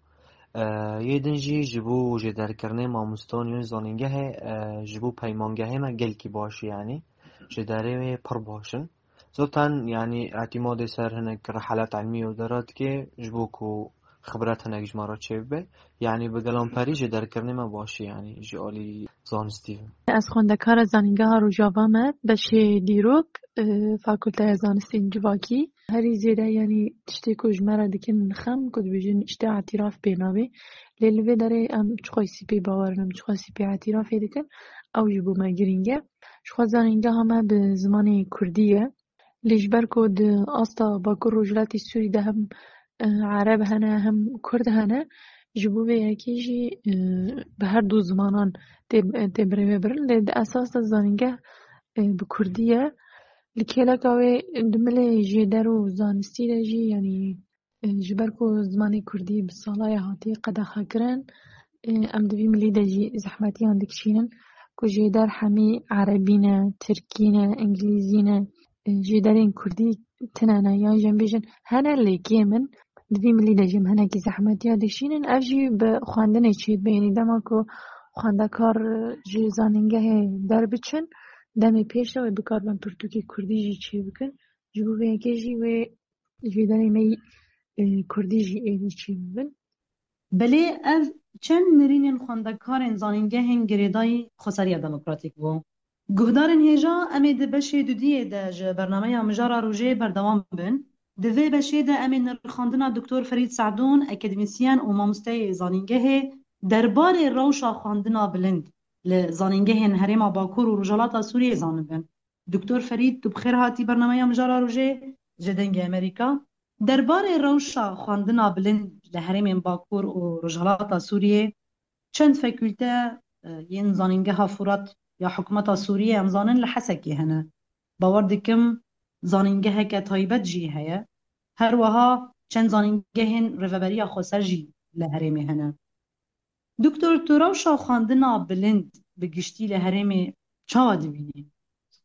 E, yê din jî ji bo jêderkirinê mamostan yên zanîngehê, e, ji bo peymangehê me gelkî baş e, yanî. Jêderê wê pir baş in. Zaten, yanî, îtîmadê ser hinek rihelat ilmî û dera dike, ji bo ku xibret hinek ji me re çêbibe. Yanî bi gelamperî ji derkirinê me baş e, yanî ji alî zanistî ve. Ez xwendekara Zanîngeha Rojava me, beşê dîrok, e, Fakulteya Zanistên Civakî. Herî zêde, yanî tiştê ku ji me re dikin xem, ku dibêjin îşte îtîraf pê nabê. Lê li vê derê em çiqasî pê bawer in, em çiqasî pê îtîrafê dikin, ew ji bo me girîng e. Ji xwe zanîngeha me bi zimanê kurdî ye. Lê ji ber ku di asta Bakur Rojhilatê Sûrî de hem, e, Ereb hene hem Kurd hene, ji bo vê yekê jî, e, bi her du zimanan tê, tê birêvebirin. Lê di esas de zanîngeh, e, bi kurdî ye. Li kêleka wê di milê jêder û zanistî de jî, yanî, e, ji ber ku zimanê kurdî bi sala ye hatiye qedexekirin, e, em di vî milî de jî zehmetiyan dikişînin ku jêder hemî erebî ne, tirkî ne, îngilîzî ne, e, jêderên kurdî tine ne, yan jî em bêjin hene lê kêm in. Di vî milî de jî em hinekî zehmetiya dikişînin. Ev jî bi xwendinê çêdibe, yanî dema ku xwendekar, e, ji zanîngehê derbiçin, demê pêş de wê bikaribin pirtûkê kurdî jî çêbikin. Ji bo vê yekê jî wê jêderê me yî, e, kurdî jî êdî çêbibin. Belê ev çend nirînên xwendekarên zanîngehên girêdayî xweseriya demokratîk bû. Guhdarên hêja, em ê di beşê dudiyê de ji bernameya Mijara Rojê berdewam bin. Di vê beşê de em ê nirxandina Doktor Ferîd Se'dûn, akademîsyen û mamosteyê zanîngehê, derbarê rewşa xwendina bilind li zanîngehên Herêma Bakur û Rojhilata Sûriyê zanibin. Doktor Ferîd, tu bi xêr hatî bernameya Mijara Rojê ji Dengê Amerîka. Derbarê rewşa xwendina bilind li herêmên Bakur û Rojhilata Sûriyê, çend fakûlte, e, yên Zanîngeha Furat ya hikûmeta Sûriyê, em zanin, li Hesekê hene. Bawer dikim zanîngeheke taybet jî heye. Her wiha çend zanîngehên Rêveberiya Xweser jî li herêmê hene. Doktor, tu rewşa xwendina bilind bi giştî li herêmê çawa dibînî?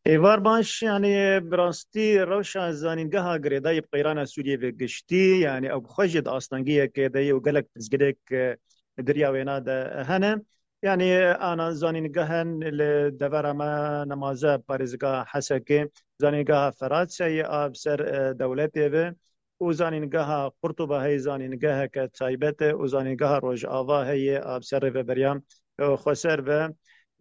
Êvar baş, yanî bi rastî rewşa zanîngeha girêdayî bi qeyrana Sûriyê bi giştî, yanî ew bi xwe jî di astengiyekê de ye û gelek pirsgirêk, e, di riya wêna de hene. Yanî ana zanîngehên li devera me nemaze parêzgeha Hesekê, zanîngeha Ferat heye a bi ser, e, dewletê ve û zanîngeha Qurtuba heye, zanîngeheke taybet e û zanîngeha Rojava heye a bi ser rêveberiya, e, xweser ve.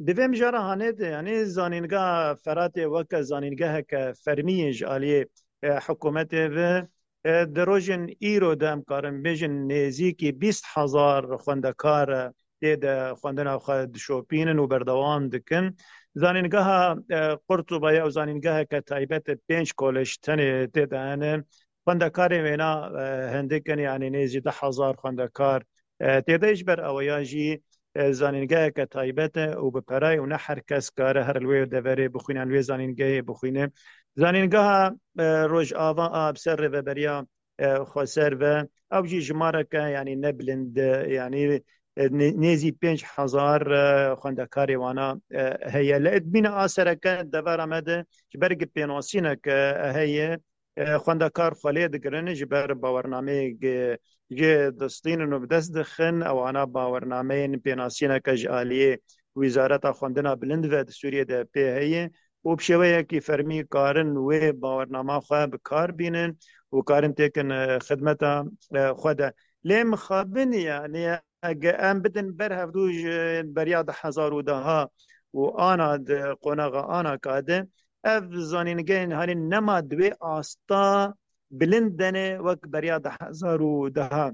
Di vê mijara hanê de, yanî zanîngeha Feratê weke zanîngeheke fermî ji aliyê, e, hikûmetê ve, e, di rojên îro de em karin bêjin nêzîkî bîst hezar xwendekar, e, tê de xwendina xwe dişopînin û berdewam dikin. Zanîngeha, e, Qurtuba ye û zanîngeheke taybet e, pênc kolej tenê tê de hene. Xwendekarên wêna, e, hindik in, yanî nêzî deh hezar xwendekar, e, tê de ji ber eweya jî, e, zanîngeheke taybet e û bi perayê û ne her kes kare her li wê deverê bixwîne, li wê zanîngehê bixwîne. Zanîngeha, e, Rojava a bi ser rêveberiya, e, xweser ve, ew jî jimareke, yanî ne bilind e, yanî, e, nê-, nêzî pênc hezar, e, xwendekarê wana, e, heye. Li edmîna a sereke devera me de ji ber gi pênasînek, e, heye, e, xwendekar xwe lê digirin, ji ber bawernameyê gi-, jê distînin û bi dest dixin, ewana bawernameyên pênasîneke ji aliyê Wîzareta Xwendina Bilind ve di Sûriyê de pê heye û bi şêweyekî fermî karin wê bawernama xwe bi kar bînin û karin têkin, e, xidmeta, e, xwe de. Lê mixabin, yanî ege em bidin ber hevdû ji beriya du hezar û deha û ana di qonaxa ana ka de, ev zanîngehên hanî nema di wê asta bilind de ne wek beriya du hezar û deha.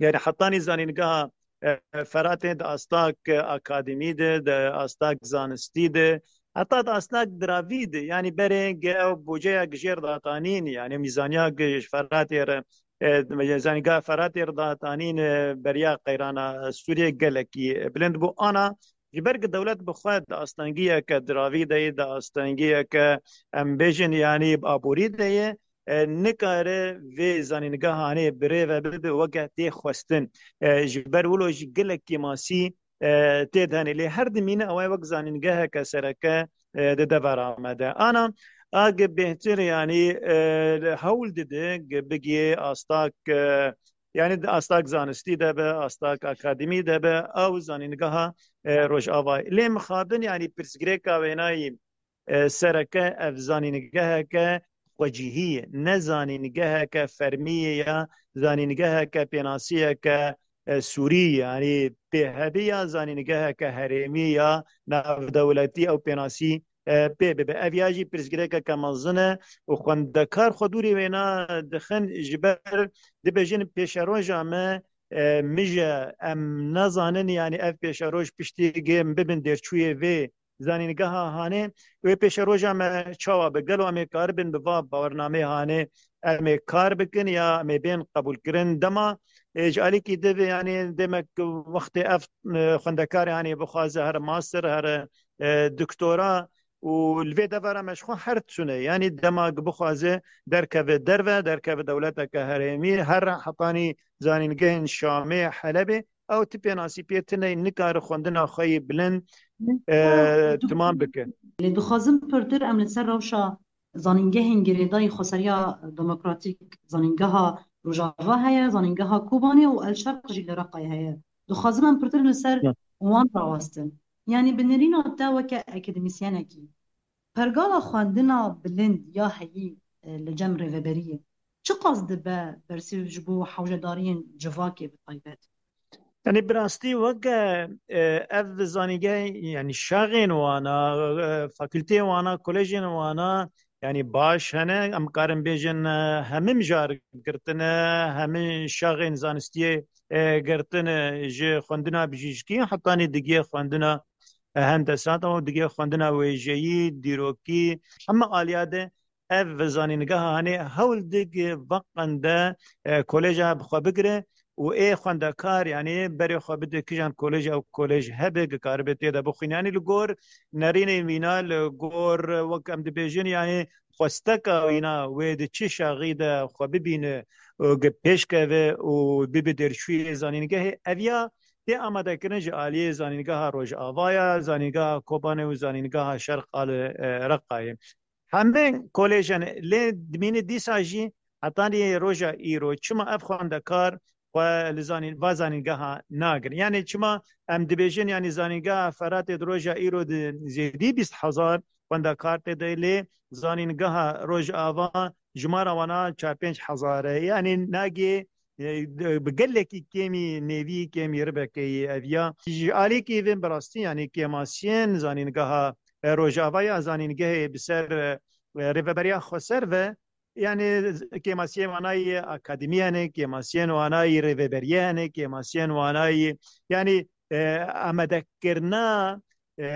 Yanî hetanî zanîngeha, e, Feratê di astak akademî de, di astak zanistî de, heta di astak diravî de, yanî berê ge ew bûceyek jêr datanîn, yanî mîzaniya ge ji Feratê re, e, zanîngeha Feratê re datanîn, e, beriya qeyrana Sûriyê gelekî bilind bû. Ana ji ber ku dewlet bi xwe di astengiyeke diravî de ye, di astengiyeke, em bêjin, yanî aborî de ye, e, nikare vê zanîngehanê bi rê ve bibe weke tê xwestin. E, ji ber wilo jî gelek kêmasî, e, tê de hene. Lê her dimîne ew ê wek zanîngeheke sereke, e, di devera me de. Ana, a ge bêhtir, yanî, e, hewl dide ge bigiyê astak, e, yanî di astak zanistî de be, astak akademî de be, ew zanîngeha, e, Rojava. Lê mixabin, yanî pirsgirêka wênayî, e, sereke ev zanîngeheke xwecihî ye, ne zanîngeheke fermî ye ya zanîngeheke pênasiyeke, e, sûrî, yanî pêhevî ya zanîngeheke herêmî ya navdewletî ew pênasî, e, pê bibe. Ev ya jî pirsgirêkeke mezin e û xwendekar xwe dûrî wêna dixin, ji ber dibêjin pêşeroja me, e, mije, em nazanin, yanî ev pêşeroj piştî gê em bibin dêrçûyê vê zanîngeha hanê, wê pêşeroja me çawa be? Gelo em ê karibin bi va bawernameyê hanê em ê kar bikin ya em ê bên qebûlkirin? Dema, e, ji alîkî di vê, yanî demek wextê ev, e, xwendekarê hanê bixwaze here master, here, e, doktora û li vê devera me ji xwe her tune, yanî dema bixwaze derkeve derve, derkeve dewleteke herêmî, her hetanî zanîngehên Şamê, Helebê, ew ti pênasî pê tune, nikare xwendina xwe yê bilind, e, Doktor, timam bike. Lê dixwazim pirtir em li ser rewşa zanîngehên girêdayî xweseriya demokratîk, zanîngeha Rojava heye, zanîngeha Kobanê û El Şerq jî li Reqayê heye. Dixwazim em pirtir li ser Ya. wan rawestin. Yanî bi nirîna te weke akademîsyenekî, pergala xwendina bilind ya heyî, e, li cem rêveberiyê çiqas dibe bersîv ji bo hewcedariyên civakê bi taybet? Yanî bi rastî weke, e, ev zanîngeh, yanî şaxên wana, e, fakulteyên wana, kolejên wana, yanî baş hene, em karin bêjin, e, hemî mijar girtine, hemî şaxên zanistiyê, e, girtine, ji xwendina bijîşkî hetanî digiyê xwendina, e, hendesa, tamam, digiyê xwendina wêjeyî, dîrokî, hemî aliya de ev zanîngeha hanê hewl dik veqende, e, koleja bi xwe bigire û ê xwendekar, yanî berê xwe bide kijan kolej, ew kolej hebe, ki karibe tê de bixwîne. Yanî li gor nerînê wîna, li gor, wek em dibêjin, yanî xwesteka wîna wê di çi şaxî de xwe bibîne û gi pêş keve û bibe dêrçûyê zanîngehê, ev ya tê amadekirin ji aliyê zanîngeha Rojavaya, zanîngeha Kobanê û zanîngeha Şerq a li, e, Reqayê. Hemî kolejan lê dimîne dîsa jî hetanî roja îro. Çima ev xwendekar xwe li zanîn-, va zanîngeha nagrin? Yanî çima em dibêjin, yanî zanîngeha Feratê di roja îro di zêdî bîst hezar xwendekar tê de, lê zanîngeha Rojava jimara wana çar pênc hezar e. Yanî nagê, e, bi gelekî kêmî nêvî, kêmî ribekeyî ev ya. Ji alîkî vin bi rastî, yanî kêmasiyên zanîngeha, e, Rojava ya zanîngehê bi ser, e, rêveberiya xweser ve, yanî kêmasiyên wana yê akademî hene, kêmasiyên wana yê rêveberiyê hene, kêmasiyên wana yê, yanî, e, amadekirina, e,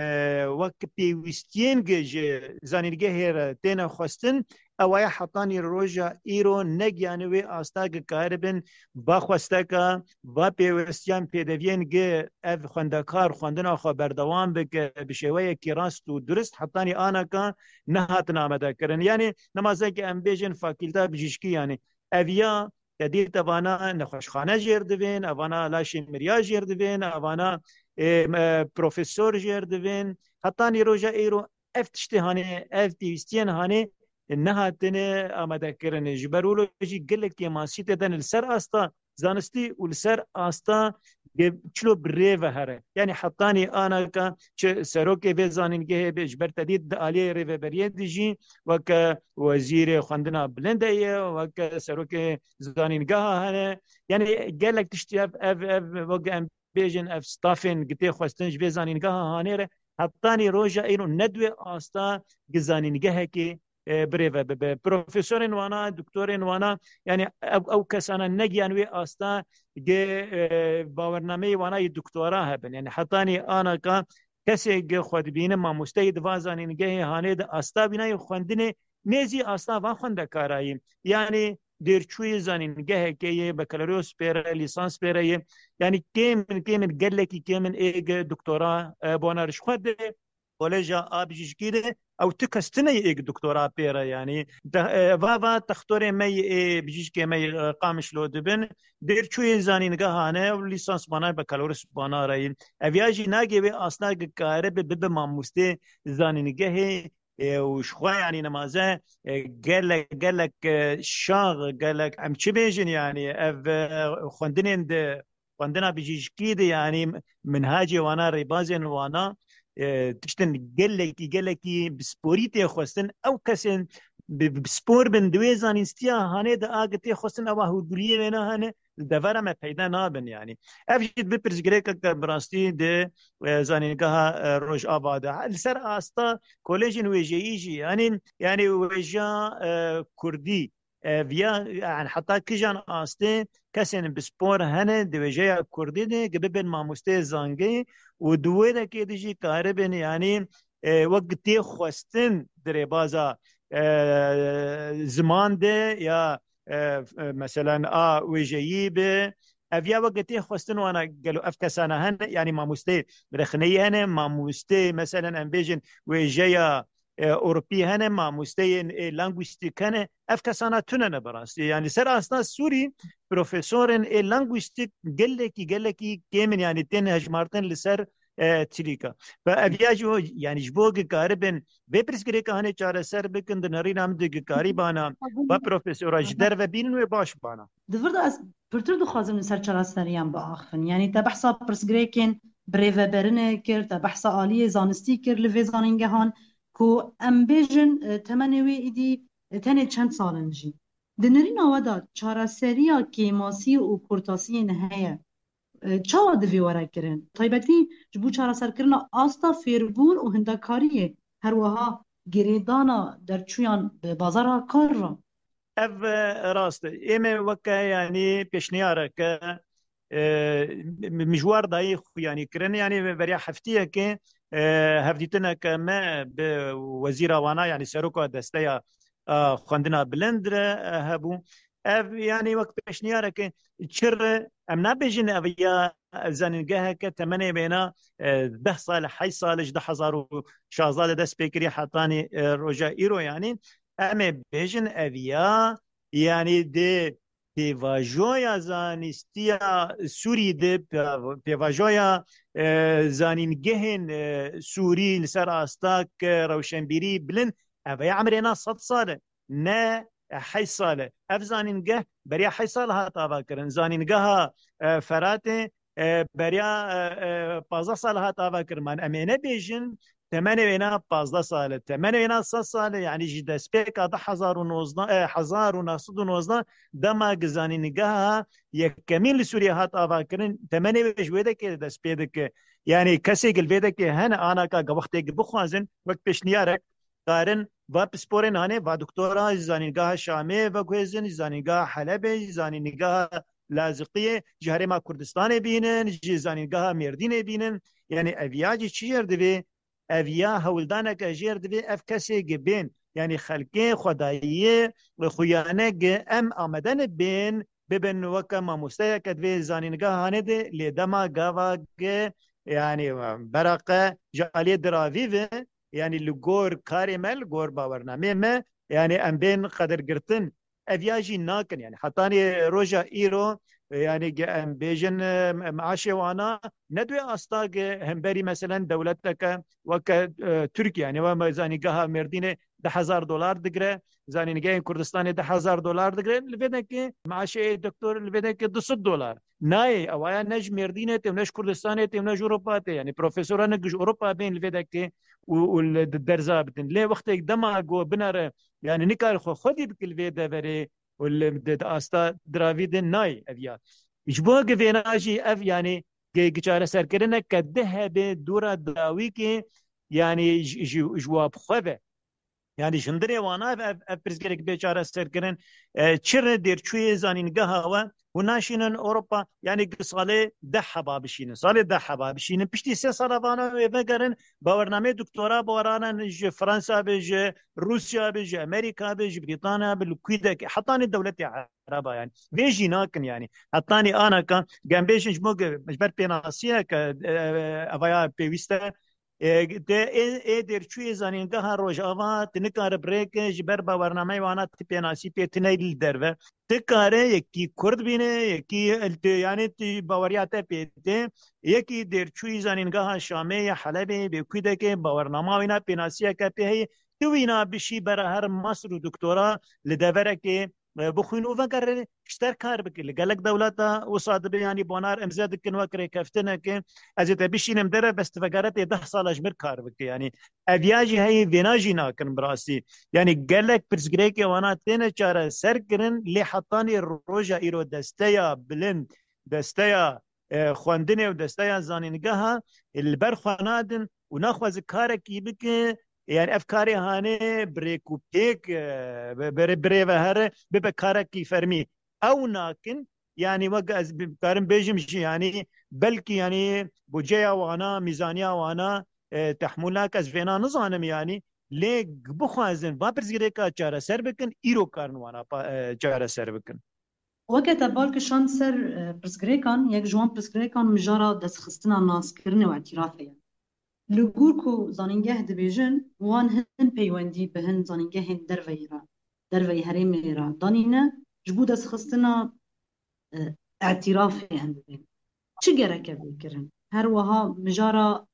wek pêwîstiyên gi ji zanîngehê re têne xwestin, ew aya hetanî roja îro negiyane wê asta gi karibin va xwesteka, va pêwestiyan pêdeviyên gi ev xwendekar xwendina xwe berdewam bike bi şêweyekî rast û durist, hetanî anaka nehatin amadekirin. Yanî nemazeke em bêjin fakîlta bijîşkî, yanî ev ya te dît evana nexweşxane jêr divên, evana laşê miriya jêr divên, evana, e, me, profesor jêr divên. Hetanî roja îro ev tiştê hanê, ev pêwîstiyên hanê nehatine amadekirin. Ji ber wilo jî gelek kêmasî tê de ne li ser asta zanistî û li ser asta ge-, çilo bi rê ve here. Yanî hetanî anaka çi serokê vê zanîngehê be, ji ber te dît di aliyê rêveberiyê de jî weke wezîrê xwendina bilind de ye, weke serokê zanîngeha hene. Yanî gelek tiştî ev, ev, ev, weke em bêjin ev stafên gi tê xwestin ji vê zanîngeha hanê re hetanî roja îro ne di wê asta gi zanîngehekê, e, birêve bibe. Profesorên wana, doktorên wana, yanî ew, ew kesana negiyan wê asta gi, e, bawernameyê wana yê doktora hebin. Yanî hetanî anaka kesê gi xwe dibîne mamosteyê di va zanîngehê hanê di asta wîna yê xwendinê nêzî asta va xwendekarayî. Yanî dêrçûyê zanîngehekê yê, bakaloryoz pê re, lîsans pê re yê. Yanî kêm in, kêm in, gelekî kêm in ê gi doktora, e, bona rişxwe de, koleja a bijîşkî de ew tu kes tune yê ê gi doktora pê re, yanî te-, e, va, va textorê me yê ê bijîşkê me yê, e, Qamişlo dibin, dêrçûyê zanîngeha ne ew lîsans bana, bakaloryoz bana re yê. Ev ya jî nagê wê asta gi kare bi, bibe mamostê zanîngehê, e, û ji xwe, yanî nemaze, e, gelek, gelek, e, şax, gelek, em çi bêjin, yanî ev, e, xwendinên di xwendina bijîşkî de, yanî minhacê wana, rêbazên wana, e, tiştin gelekî, gelekî bi sporî tê xwestin. Ew kesên bi, bi spor bin di wê zanînstiya hanê de a gi tê xwestin ewa hûrguliyê wêne hene, li devera me peyda nabin yanî. Ev jî bi pirsgirêkeke bi rastî di, e, zanîngeha, e, Rojava de. Li ser asta kolejên wêjeyî jî, yanî, yanî wêjeya, e, kurdî, e, viya, yani heta kijan astê kesên bi spor hene di wêjeya kurdî de ki bibin mamosteyê zangeyê û di wê dekê de jî karibin, yanî, e, wek tê xwestin di rêbaza, e, ziman de ya, e, e, meselen a wêjeyî bi, ev ya wek tê xwestin wana gelo ev kesana hene, yanî mamosteyê rexneyî hene, mamosteyê meselen em bêjin wêjeya, e, Ewropî hene, mamosteyên ê lingwîstîk hene, ev kesana tune ne bi rastî. Yanî ser asta Sûrî profesorên ê lingwîstîk gelekî, gelekî kêm in, yanî tên hejmartin li ser, e, çilîka. Ve ev ya ji bo, yanî ji bo ki karibin vê pirsgirêka hanê çareser bikin, di nerîna min de ki karîbana va profesora ji derve bînin wê baş bana. Di vir de ez pirtir dixwazim li ser çareseriyan biaxivin. Yanî te behsa pirsgirêkên birêveberinê kir, te behsa aliyê zanistî kir li vê zanîngehan ku em bêjin, e, temenê wê îdî, e, tenê çend sal in jî. Di nerîna we de çareseriya kêmasî û kurtasiyên heye, e, çawa divê were kirin? Taybetî ji bo çareserkirina asta fêrbûn û hindekariyê, her wiha girêdana derçûyan bi bazara kar re. Ev, e, rast e. Ê me weke, yanî, pêşniyareke, e, mi-, mijwar dayî xwe, yanî, kirin. Yanî, beriya heftiyekê, e, hevdîtineke me bi wezîra wana, yanî seroka desteya, e, xwendina bilind re, e, hebû. Ev, yanî, wek pêşniyareke çi re em nabêjin, ev ya zanîngeheke temenê wêna, e, deh sal, heşt sal, ji du hezar û şazda de dest pê kiriye hetanî, e, roja îro, yanî. Em ê bêjin ev ya, yanî di pêvajoya zanîstiya Sûrî de, pê-, pêvajoya, e, zanîngehên, e, Sûrî li ser asta ke rewşenbîrî bilind, ev ya emrê na sed sal e, ne heşt sal e. Ev zanîngeh beriya heşt sal hat ava kirin. Zanîngeha, e, Feratê, e, beriya, e, e, pazdeh sal hat ava kirin. Man em ê nebêjin, temenê wêna pazdeh sal e, temenê wêna sed sal e, yanî ji destpêka du hezar û nozdeh, e, hezar û neh sed û nozdeh, dema ki zanîngeha yekemîn li Sûriyê hat avakirin, temenê wê ji wê dekê dest pê dike. Yanî kesê ki li vê dekê hene, anaka ge wextê ki bixwazin, wek pêşniyarek, karin va pisporên hanê, va doktora ji zanîngeha Şamê veguhêzin, ji zanîngeha Helebê, ji zanîngeha Laziqiyê, ji Herêma Kurdistanê bînin, ji zanîngeha Mêrdînê bînin. Yanî ev ya jî çi jêr divê? Ev ya hewldaneke jêr divê ev kesê ki bên, yanî xelkê xwedayiyê xuyane ki em amade ne bên, bibin weke mamosteyeke divê zanîngeha hanê de, lê dema gava ki, yanî, beraqe ji aliyê diravî ve, yanî li gor karê me, li gor bawernameyê me, yanî em bên qedirgirtin. Ev ya jî nakin, yanî hetanî roja îro, yanî ge-, em bêjin, e, me-, meaşê wana ne duyê asta ge hemberî, meselen, dewleteke weke, e, Tirkiye, yanî we me zanîngeha Mêrdînê du hezar dolar digire, zanîngehên Kurdistanê du hezar dolar digire, li vê dekê meaşê doktor li vê dekê du sed dolar. Nayê, ewaya ne ji Mêrdînê tê, ne ji Kurdistanê tê, ne ji Ewropa tê. Yanî profesora ne ji Ewropa bên li vê dekê û, û li di derza bidin. Lê wextê dema go binere, yanî nikare xwe xwedî bike li vê deverê û li, di, di asta diravî de nayê ev ya. Ji bo gi vêna jî ev, yanî gi, gi çareserkirineke di hebe dûra dawî ke, yanî ji, ji, ji wa bi xwe ve. Yanî ji hundirê wana ev, ev, ev pirsgirêk bê çareserkirin. E, çi re dêrçûyê zanîngeha we hûn naşînin Ewropa, yanî gi salê deh heba bişînin. Salê deh heba bişînin. Piştî sê sala vana wê vegerin, bawernameyê doktora baweranin ji Fransa be, ji Rûsya be, ji Amerîka be, ji Brîtanya be, li kû de ke, hetanî dewletê Ereba, yanî. Vê jî nakin, yanî. Hetanî anaka, gem bêjin ji bo ge-, ji ber pênasiyeke, e, evaya pêwîst e, e, de, ê, ê dêrçûyê zanîngeha Rojava, tu nikare bi rê ke ji ber bawernameyê wana tu pênasî pê tune li derve. Tu kare yekî Kurd bîne, yekî, yanî tu baweriya te pê tê, yekî dêrçûyî zanîngeha Şamê ya Helebê bê kû de ke bawernama wîna pênasiyeke pê heye, tu wîna bişî bera her master û doktora li deverekê e, bixwîn û vegerin ji te re kar bike. Li gelek dewleta wisa dibe, yanî bonar imze dikin wek rêkeftineke, ez ê te bişînim dere, bes tu vegere tê deh sala ji mir kar bike. Yanî ev ya jî heye, vêna jî nakin bi rastî. Yanî gelek pirsgirêkê wana têne çareser kirin, lê hetanî roja îro desteya bilind, desteya, e, xwendinê û desteya zanîngeha, e, li ber xwe nadin û naxwaze karekî bike, yani ev karê hanê bi rêk û pêk, e, bi, bi, bi rê ve here, bibe karekî fermî. Ew nakin, yani wek ez bi-, karim bêjim jî, yani belkî yani budceya wana, mîzaniya wana, e, tehmûl nake, ez vêna nizanim yani, lê bixwazin va pirsgirêka çareser bikin, îro karin wana pa-, e, çareser bikin. Weke te bal kişand ser, e, pirsgirêkan, yek ji wan pirsgirêkan mijara destxistina naskirinê û îtîrafê ye. Li gor ku zanîngeh dibêjin, wan hin peywendî bi hin zanîngehên derveyî re, derveyî herêmê re danîne, ji bo destxistina, e, îtîrafê em bibên. Çi gereke bê kirin? Her wiha mijara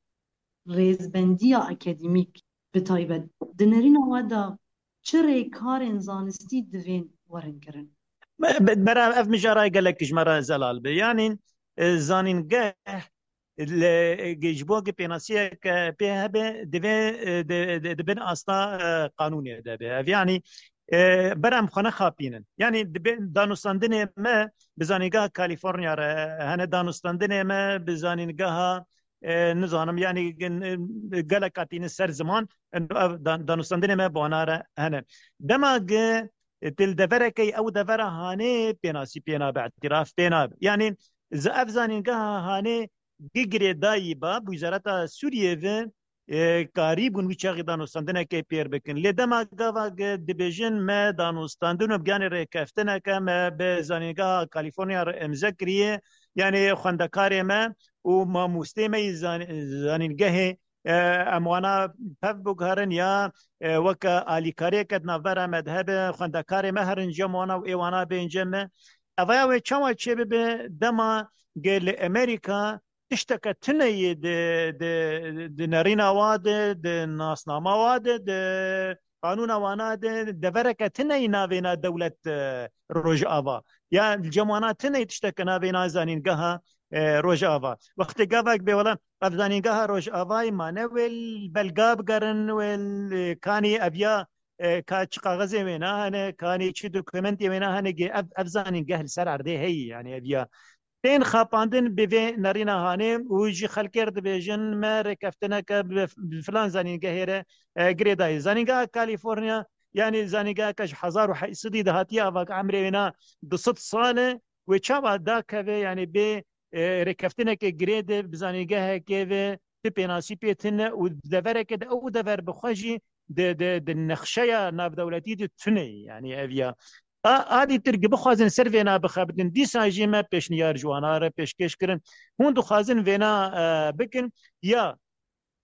rêzbendiya akademîk bi taybet di nerîna we de çi rêkarên zanistî divên werin kirin? Be-, be-, bera ev mijara gelek ji me re zelal be. Yanî, e, zanîngeh li, ji bo ki pênasiyeke pê hebe, divê, e, di, di, di bin asta, e, qanûnê de be. Ev yanî, e, bera em xwe nexapînin. Yanî dibe danûstandinê me bi zanîngeha Kalîforniya re hene, danûstandinê me bi zanîngeha, e, nizanim, yanî, e, gelek katînin ser ziman, ev dan-, danûstandinê me bi wana re hene. Dema gi, e, tu li deverekê, ew devera hanê pênasî pê nabe, îtîraf pê nabe. Yanî, z-, ev zanîngeha hanê gi girêdayî ba, bi Wizareta Sûriyê ve, e, karî bûn wî çaxî danûstandinekê pêr bikin. Lê dema gava gi dibêjin me danûstandin û bi giyanê rêkeftineke me bi zanîngeha Kalîforniya re imze kiriye, yanî xwendekarê me û mamostê me yî zan-, zanîngehê, e, em wana pev biguherin ya, e, weke alîkariyeke di navbera me de hebe, xwendekarê me herin cem wana û ê wana bên cem me. Evaya wê çawa çêbibe dema gê li Amerîka tişteke tune yê di, di, di nerîna wa de, di nasnama wa de, di qanûna wana de, devereke tune yî navêna dewlet, e, Rojava. Ya li cem wana tune yî tişteke navêna zanîngeha, e, Rojava. Wextê gavak bê wela ev zanîngeha Rojavayê mane wê li belga bigerin, wê li kanî ev ya, e, ka çi kaxezê wêna hene, kanî çi dokumentê wêna hene, gê ev, ev zanîngeh li ser erdê heyî, yani ev ya. Tên xapandin bi vê nerîna hanê û ji xelkê re dibêjin, me rêkeftineke bi, bi filan zanîngehê re, e, girêdayî. Zanîngeha Kalîforniya, yanî zanîngeheke ji hezar û heşt sedî de hatiye ava, emrê wêna du sed sal e, wê çawa dakeve, yanî bê, e, rêkeftineke girê de bi zanîngehekê ve ti pênasî pê tune û devereke de ew dever bi xwe jî di, di, di nexşeya navdewletî de tune ye, yanî ev ya. A, a dîtir gi bixwazin ser vêna bixebitin, dîsa jî me pêşniyar ji wana re pêşkêş kirin. Hûn dixwazin vêna, e, bikin, ya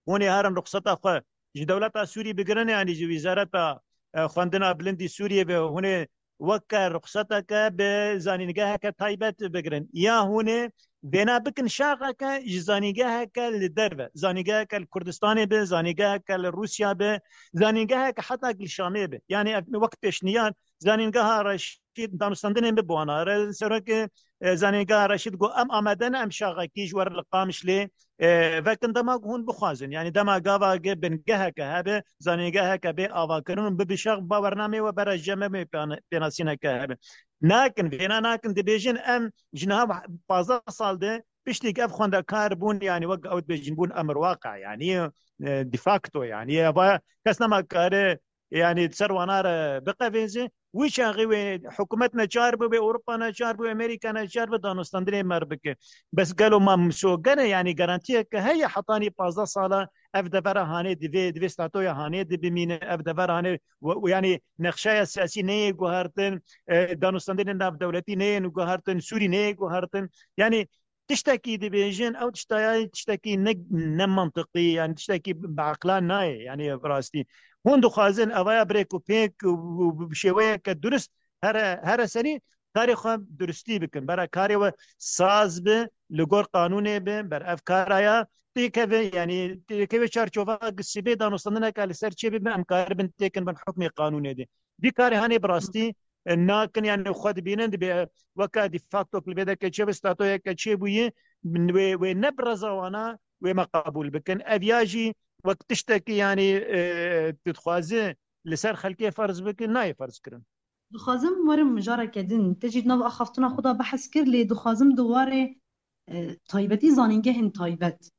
hûn ê herin ruxseta xwe ji dewleta Sûrî bigirin, yanî ji Wîzareta, e, Xwendina Bilindî Sûriyê ve hûn ê weke ruxseteke bi zanîngeheke taybet bigirin. Ya hûn ê vêna bikin şaxeke ji zanîngeheke li derve, zanîngeheke li Kurdistanê be, zanîngeheke li Rûsya be, zanîngeheke heta li Şamê be. Yanî ev wek pêşniyar, zanîngeha Reşîd, danûstandinên bi bi wana re, serokê, e, zanîngeha Reşîd got, em amade ne em şaxekî ji we re li Qamişlê, e, vekin dema ku hûn bixwazin. Yanî dema gava ge bingeheke hebe, zanîngeheke bê avakirin û bibe şax, ba bernameyê we bera cem me pêna-, pênasîneke hebe. Nakin, vêna nakin, dibêjin em ji niha pazdeh sal de piştî ku ev xwendekar bûn, yanî wek ew dibêjin bûn emir waqe, yanî, e, de facto, yanî eva kes nema kare, yanî ser wana re biqevêze. Wî çaxê wê hikûmet neçar bû, wê Ewropa neçar bû, Amerîka neçar bû, danûstandinê me re bike. Bes gelo ma misogene, yanî garantiyeke heye hetanî pazdeh sala ev devera hanê divê, divê statoya hanê de bimîne, ev devera hanê we, we, yanî nexşeya siyasî neyê guhertin, e, danûstandinên navdewletî neyên guhertin, Sûrî neyê guhertin. Yanî tiştekî dibêjin, ew tiştaya tiştekî ne, ne mantiqî, yanî tiştekî bi eqlan nayê, yanî bi rastî. Hûn dixwazin evaya bi rêk û pêk û, û bi şêweyeke durist here, here serî karê xwe duristî bikin. Bera karê we saz bi, li gor qanûnê bi, ber ev kara ya têkeve, yanî têkeve çarçova sibê danûstandineke li ser çê bibe, em karibin têkin bin hukmê qanûnê de. Vî karê hanê bi rastî e, nakin, yani xwe dibînin, dibê weke de facto li vê derê çêbû, statoyeke çêbûyî, wê, wê ne bi reza wana wê me qebûl bikin. Ev ya jî wek tiştekî, yani, e, tu dixwazi li ser xelkê ferz bikin, nayê ferz kirin. Dixwazim werim mijareke din. Te jî di nav axaftina xwe de behs kir, lê dixwazim di warê, e, taybetî zanîngehên taybet.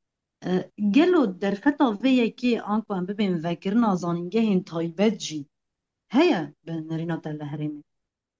E, gelo derfeta vê yekê anku em bibên vekirina zanîngehên taybet jî heye bi nerîna te li herêmê?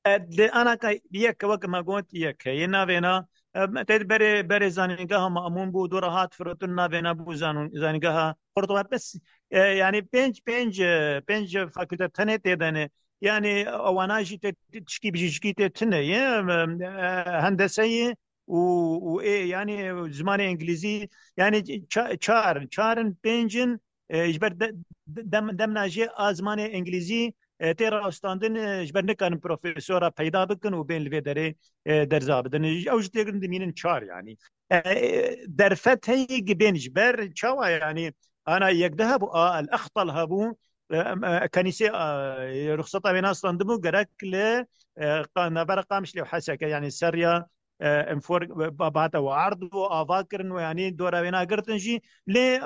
E, di anaka yek, wek me got, yek heye. Navêna, e, te berê, berê zanîngeha Mamûn bû, dora hat firotin, navêna bû zanûn-, zanîngeha Qurtuba. Bes, e, yani pênc, pênc, e, pênc fakülte tenê tê de ne. Yani wana jî tê, tişkî bijîşkî tê tune ye, e, e, hendese ye û, û ê, yani zimanê îngilîzî, yani ça-, çar, çar in, pênc in, e, ji ber de, de, dem, demna jê a zimanê îngilîzî, e, tê rawestandin, e, ji ber nikarin profesora peyda bikin û bên li vê derê, e, derza bidin. Ew ji têgirin dimînin çar, yani. E, e, derfet heye ki bên ji ber çawa, yani, ana yek de hebû, a El Extal hebû, e, em, e, Kenîsê, e, ruxseta wê nastandibû, gerek li, e, qa-, navbera Qamişlê û Heseke, yani seriya, e, em for, ba-, bate û erd û ava kirin û, yani, dora wê nagirtin jî. Lê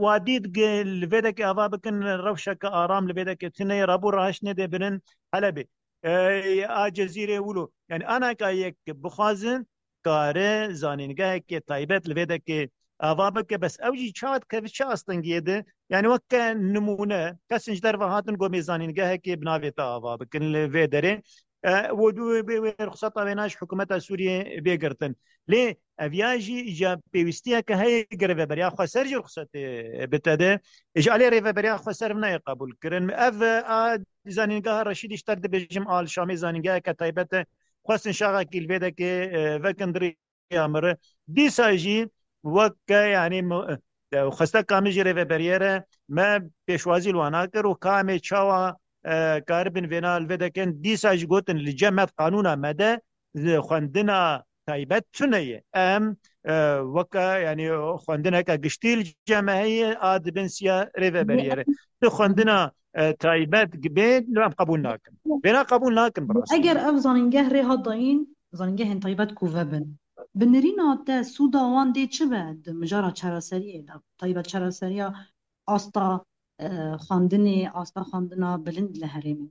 wa dît ki li vê dekê ava bikin, rewşeke aram li vê dekê tune ye, rabû rahiş nedê birin Helebê. E, a Cezîrê wilo. Yani anaka yek bixwazin, kare zanîngeheke taybet li vê dekê ava bike, bes ew jî çawa dikeve çi astengiyê de? Yani weke nimûne, kesin ji derve hatin gomê zanîngehekê bi navê te ava bikin li vê derê. E, û wê, wê, wê ruxseta wê na ji hikûmeta Sûriyê bê girtin. Lê ev ya jî îca pêwîstiyeke heye, gi rêveberiya xweser jî ruxsetê bide. Ji alê rêveberiya xweser nayê qebûl kirin. Ev, a zanîngeha Reşîdî ji te dibêjim, a li Şamê zanîngeheke taybet e. Xwestin şaxekî li vê dekê, e, vekin di rêya min re. Dîsa jî weke, yani, mi-, e, xwesteka min ji rêveberiyê re, me pêşwazî li wan nakir û ka em ê çawa, e, karibin vêna li vê dekin. Dîsa jî gotin li cem me, qanûna me de, xwendina taybet tune ye. Em, e, weke, yani, xwendineke giştî li cem me heye, a di bin siya rêveberiyê re. Tu xwendina, e, taybet bê, em qebûl nakin. Vêna qebûl nakin, bi rastî. Eger ev zanîngeh rê hat dayîn, zanîngehên taybet ku vebin, bi nerîna te sûda wan dê çi be di mijara çareseriyê de? Taybet çareseriya asta, e, xwendinê, asta xwendina bilind li herêmê.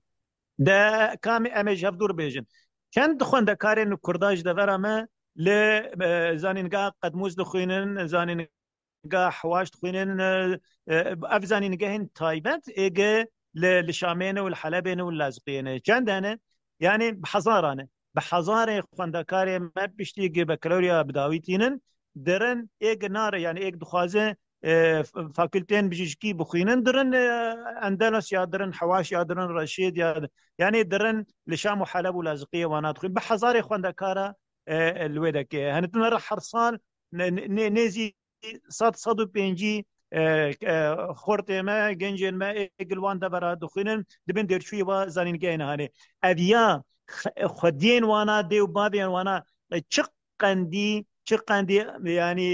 De kamê em ê ji hev dûr bêjin. Çend xwendekarên Kurda ji devera me li, e, zanîngeha Qedmûs dixwînin, zanîngeha Hewaş dixwînin, e, e, ev zanîngehên taybet êge li, li Şamê ne û li Helebê ne û li Laziqiyê ne. Çend hene? Yani bi hezaran e. Bi hezarê xwendekarê me piştî gi bekaloriya bi dawî tînin, dirin êg nare, yani êg dixwaze, e, f-, fakulteyên bijîşkî bixwînin, dirin, e, Endelos ya dirin, Hewaş ya dirin, Reşîd ya, yani dirin li Şam û Heleb û Laziqiyê wana dixwîn. Bi hezarê xwendekara, e, li wê dekê. Hene tune re her sal ne-, ne-, nêzî sed, sed û pêncî, e, e, xortê me, gencên me ê gil wan devera dixwînin, dibin dêrçûyê wa zanîngehê nihanê. Ev ya x-, xwediyên wana, dê û bavên wana, e, çi qendî, çi qendî, yani,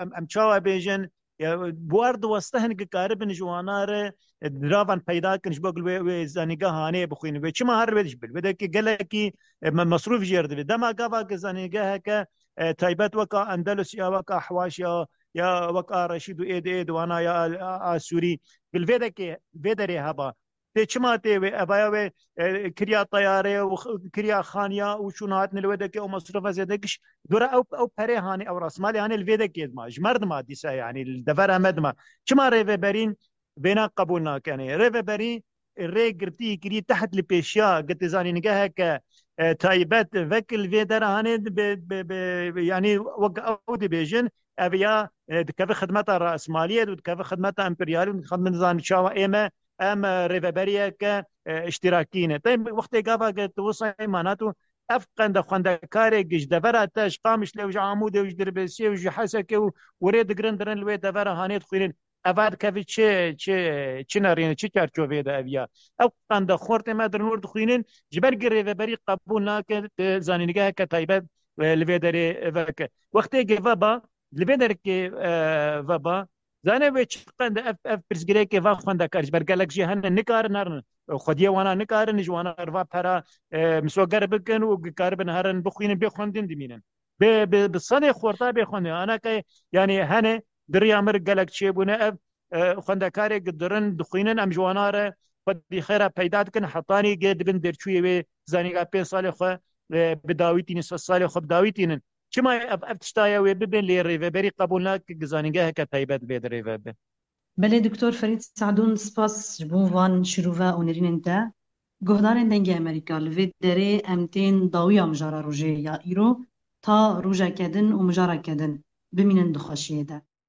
em, em çawa bêjin, ya, bi wer diweste hin ki karibin ji wana re, e, ravan peyda kin, ji bo gil wê, wê zanîngehanê bixwînin. Wê çima her wê ji bil? Wê de ki gelekî, e, me-, mesrûf jêr dibe. Dema gava ki zanîngeheke, e, taybet weka Endelus ya, weka Hewaş ya, ya weka Reşîd û êdî, êdî wana ya a, a, a Sûrî. Bil vê de ki, vê derê heba. Tê çima tê wê, evaya wê, e, kiriya teyare û x-, kiriya xaniya û çûn hatin li wê dekê û mesrûfa zêde kiş. Dora ew, ew perê hanê, ew rasmalê hanê li vê dekê dima. Ji me re dima dîsa, yani li devera me dima. Çima rêveberîn vêna qebûl nakenê? Rêveberî rê girtî kirî teht li pêşiya gitî zanîngeheke, e, taybet vekil vê dera hanê bi, bi, bi, yani wek ew dibêjin, ev ya, e, dikeve xidmeta rasmaliyê û dikeve xidmeta emperyalî û dikeve nizam çawa ê me em, e, rêveberiyeke, e, îştirakî ne. Te wextê gava ke tu wisa mana tu ev qende xwendekarê ji devera te, ji Qamişlê û ji Amûdê û ji Dirbêsiyê û ji Hesekê û werê digirin dirin li wê devera hanê dixwînin. Eva dikevî çi, çi, çi nerîne, çi çarçoveyê de ev ya? Ev qende xortê me dirin wir dixwînin, ji ber gi rêveberî qebûl nake, e, zanîngeheke taybet, e, li vê derê veke. Wextê gi veba, li vê derkê, e, veba, Zanê wê çi qende ev, ev pirsgirêkê va xwendekar ji ber gelek jî hene nikarin herin. Xwediyê wana nikarin ji wana re va pera, e, misoger bikin û karibin herin bixwînin bê xwendin dimînin. Bi, bi, bi sedê xorta bê xwendin. Anake, yanî hene di riya mir gelek çêbûne ev, e, xwendekarê gidirin dixwînin em ji wana re xwedî xêra peyda dikin hetanî gê dibin derçûyê wê zanîngeha pênc salê xwe, e, bi dawî tînin, sed salê xwe bi dawî tînin. Çima ev, ev tişta ye wê bibin lê rêveberî qebûl nake ki zanîngeheke taybet vê di rêve be? Belê, Doktor Ferîd Sadûn, spas ji bo van şirove û nêrînên te. Guhdarên Dengê Amerîka, li vê derê em tên dawiya mijara rojê ya îro, ta rojeke din û mijareke din bimînin di xweşiyê de.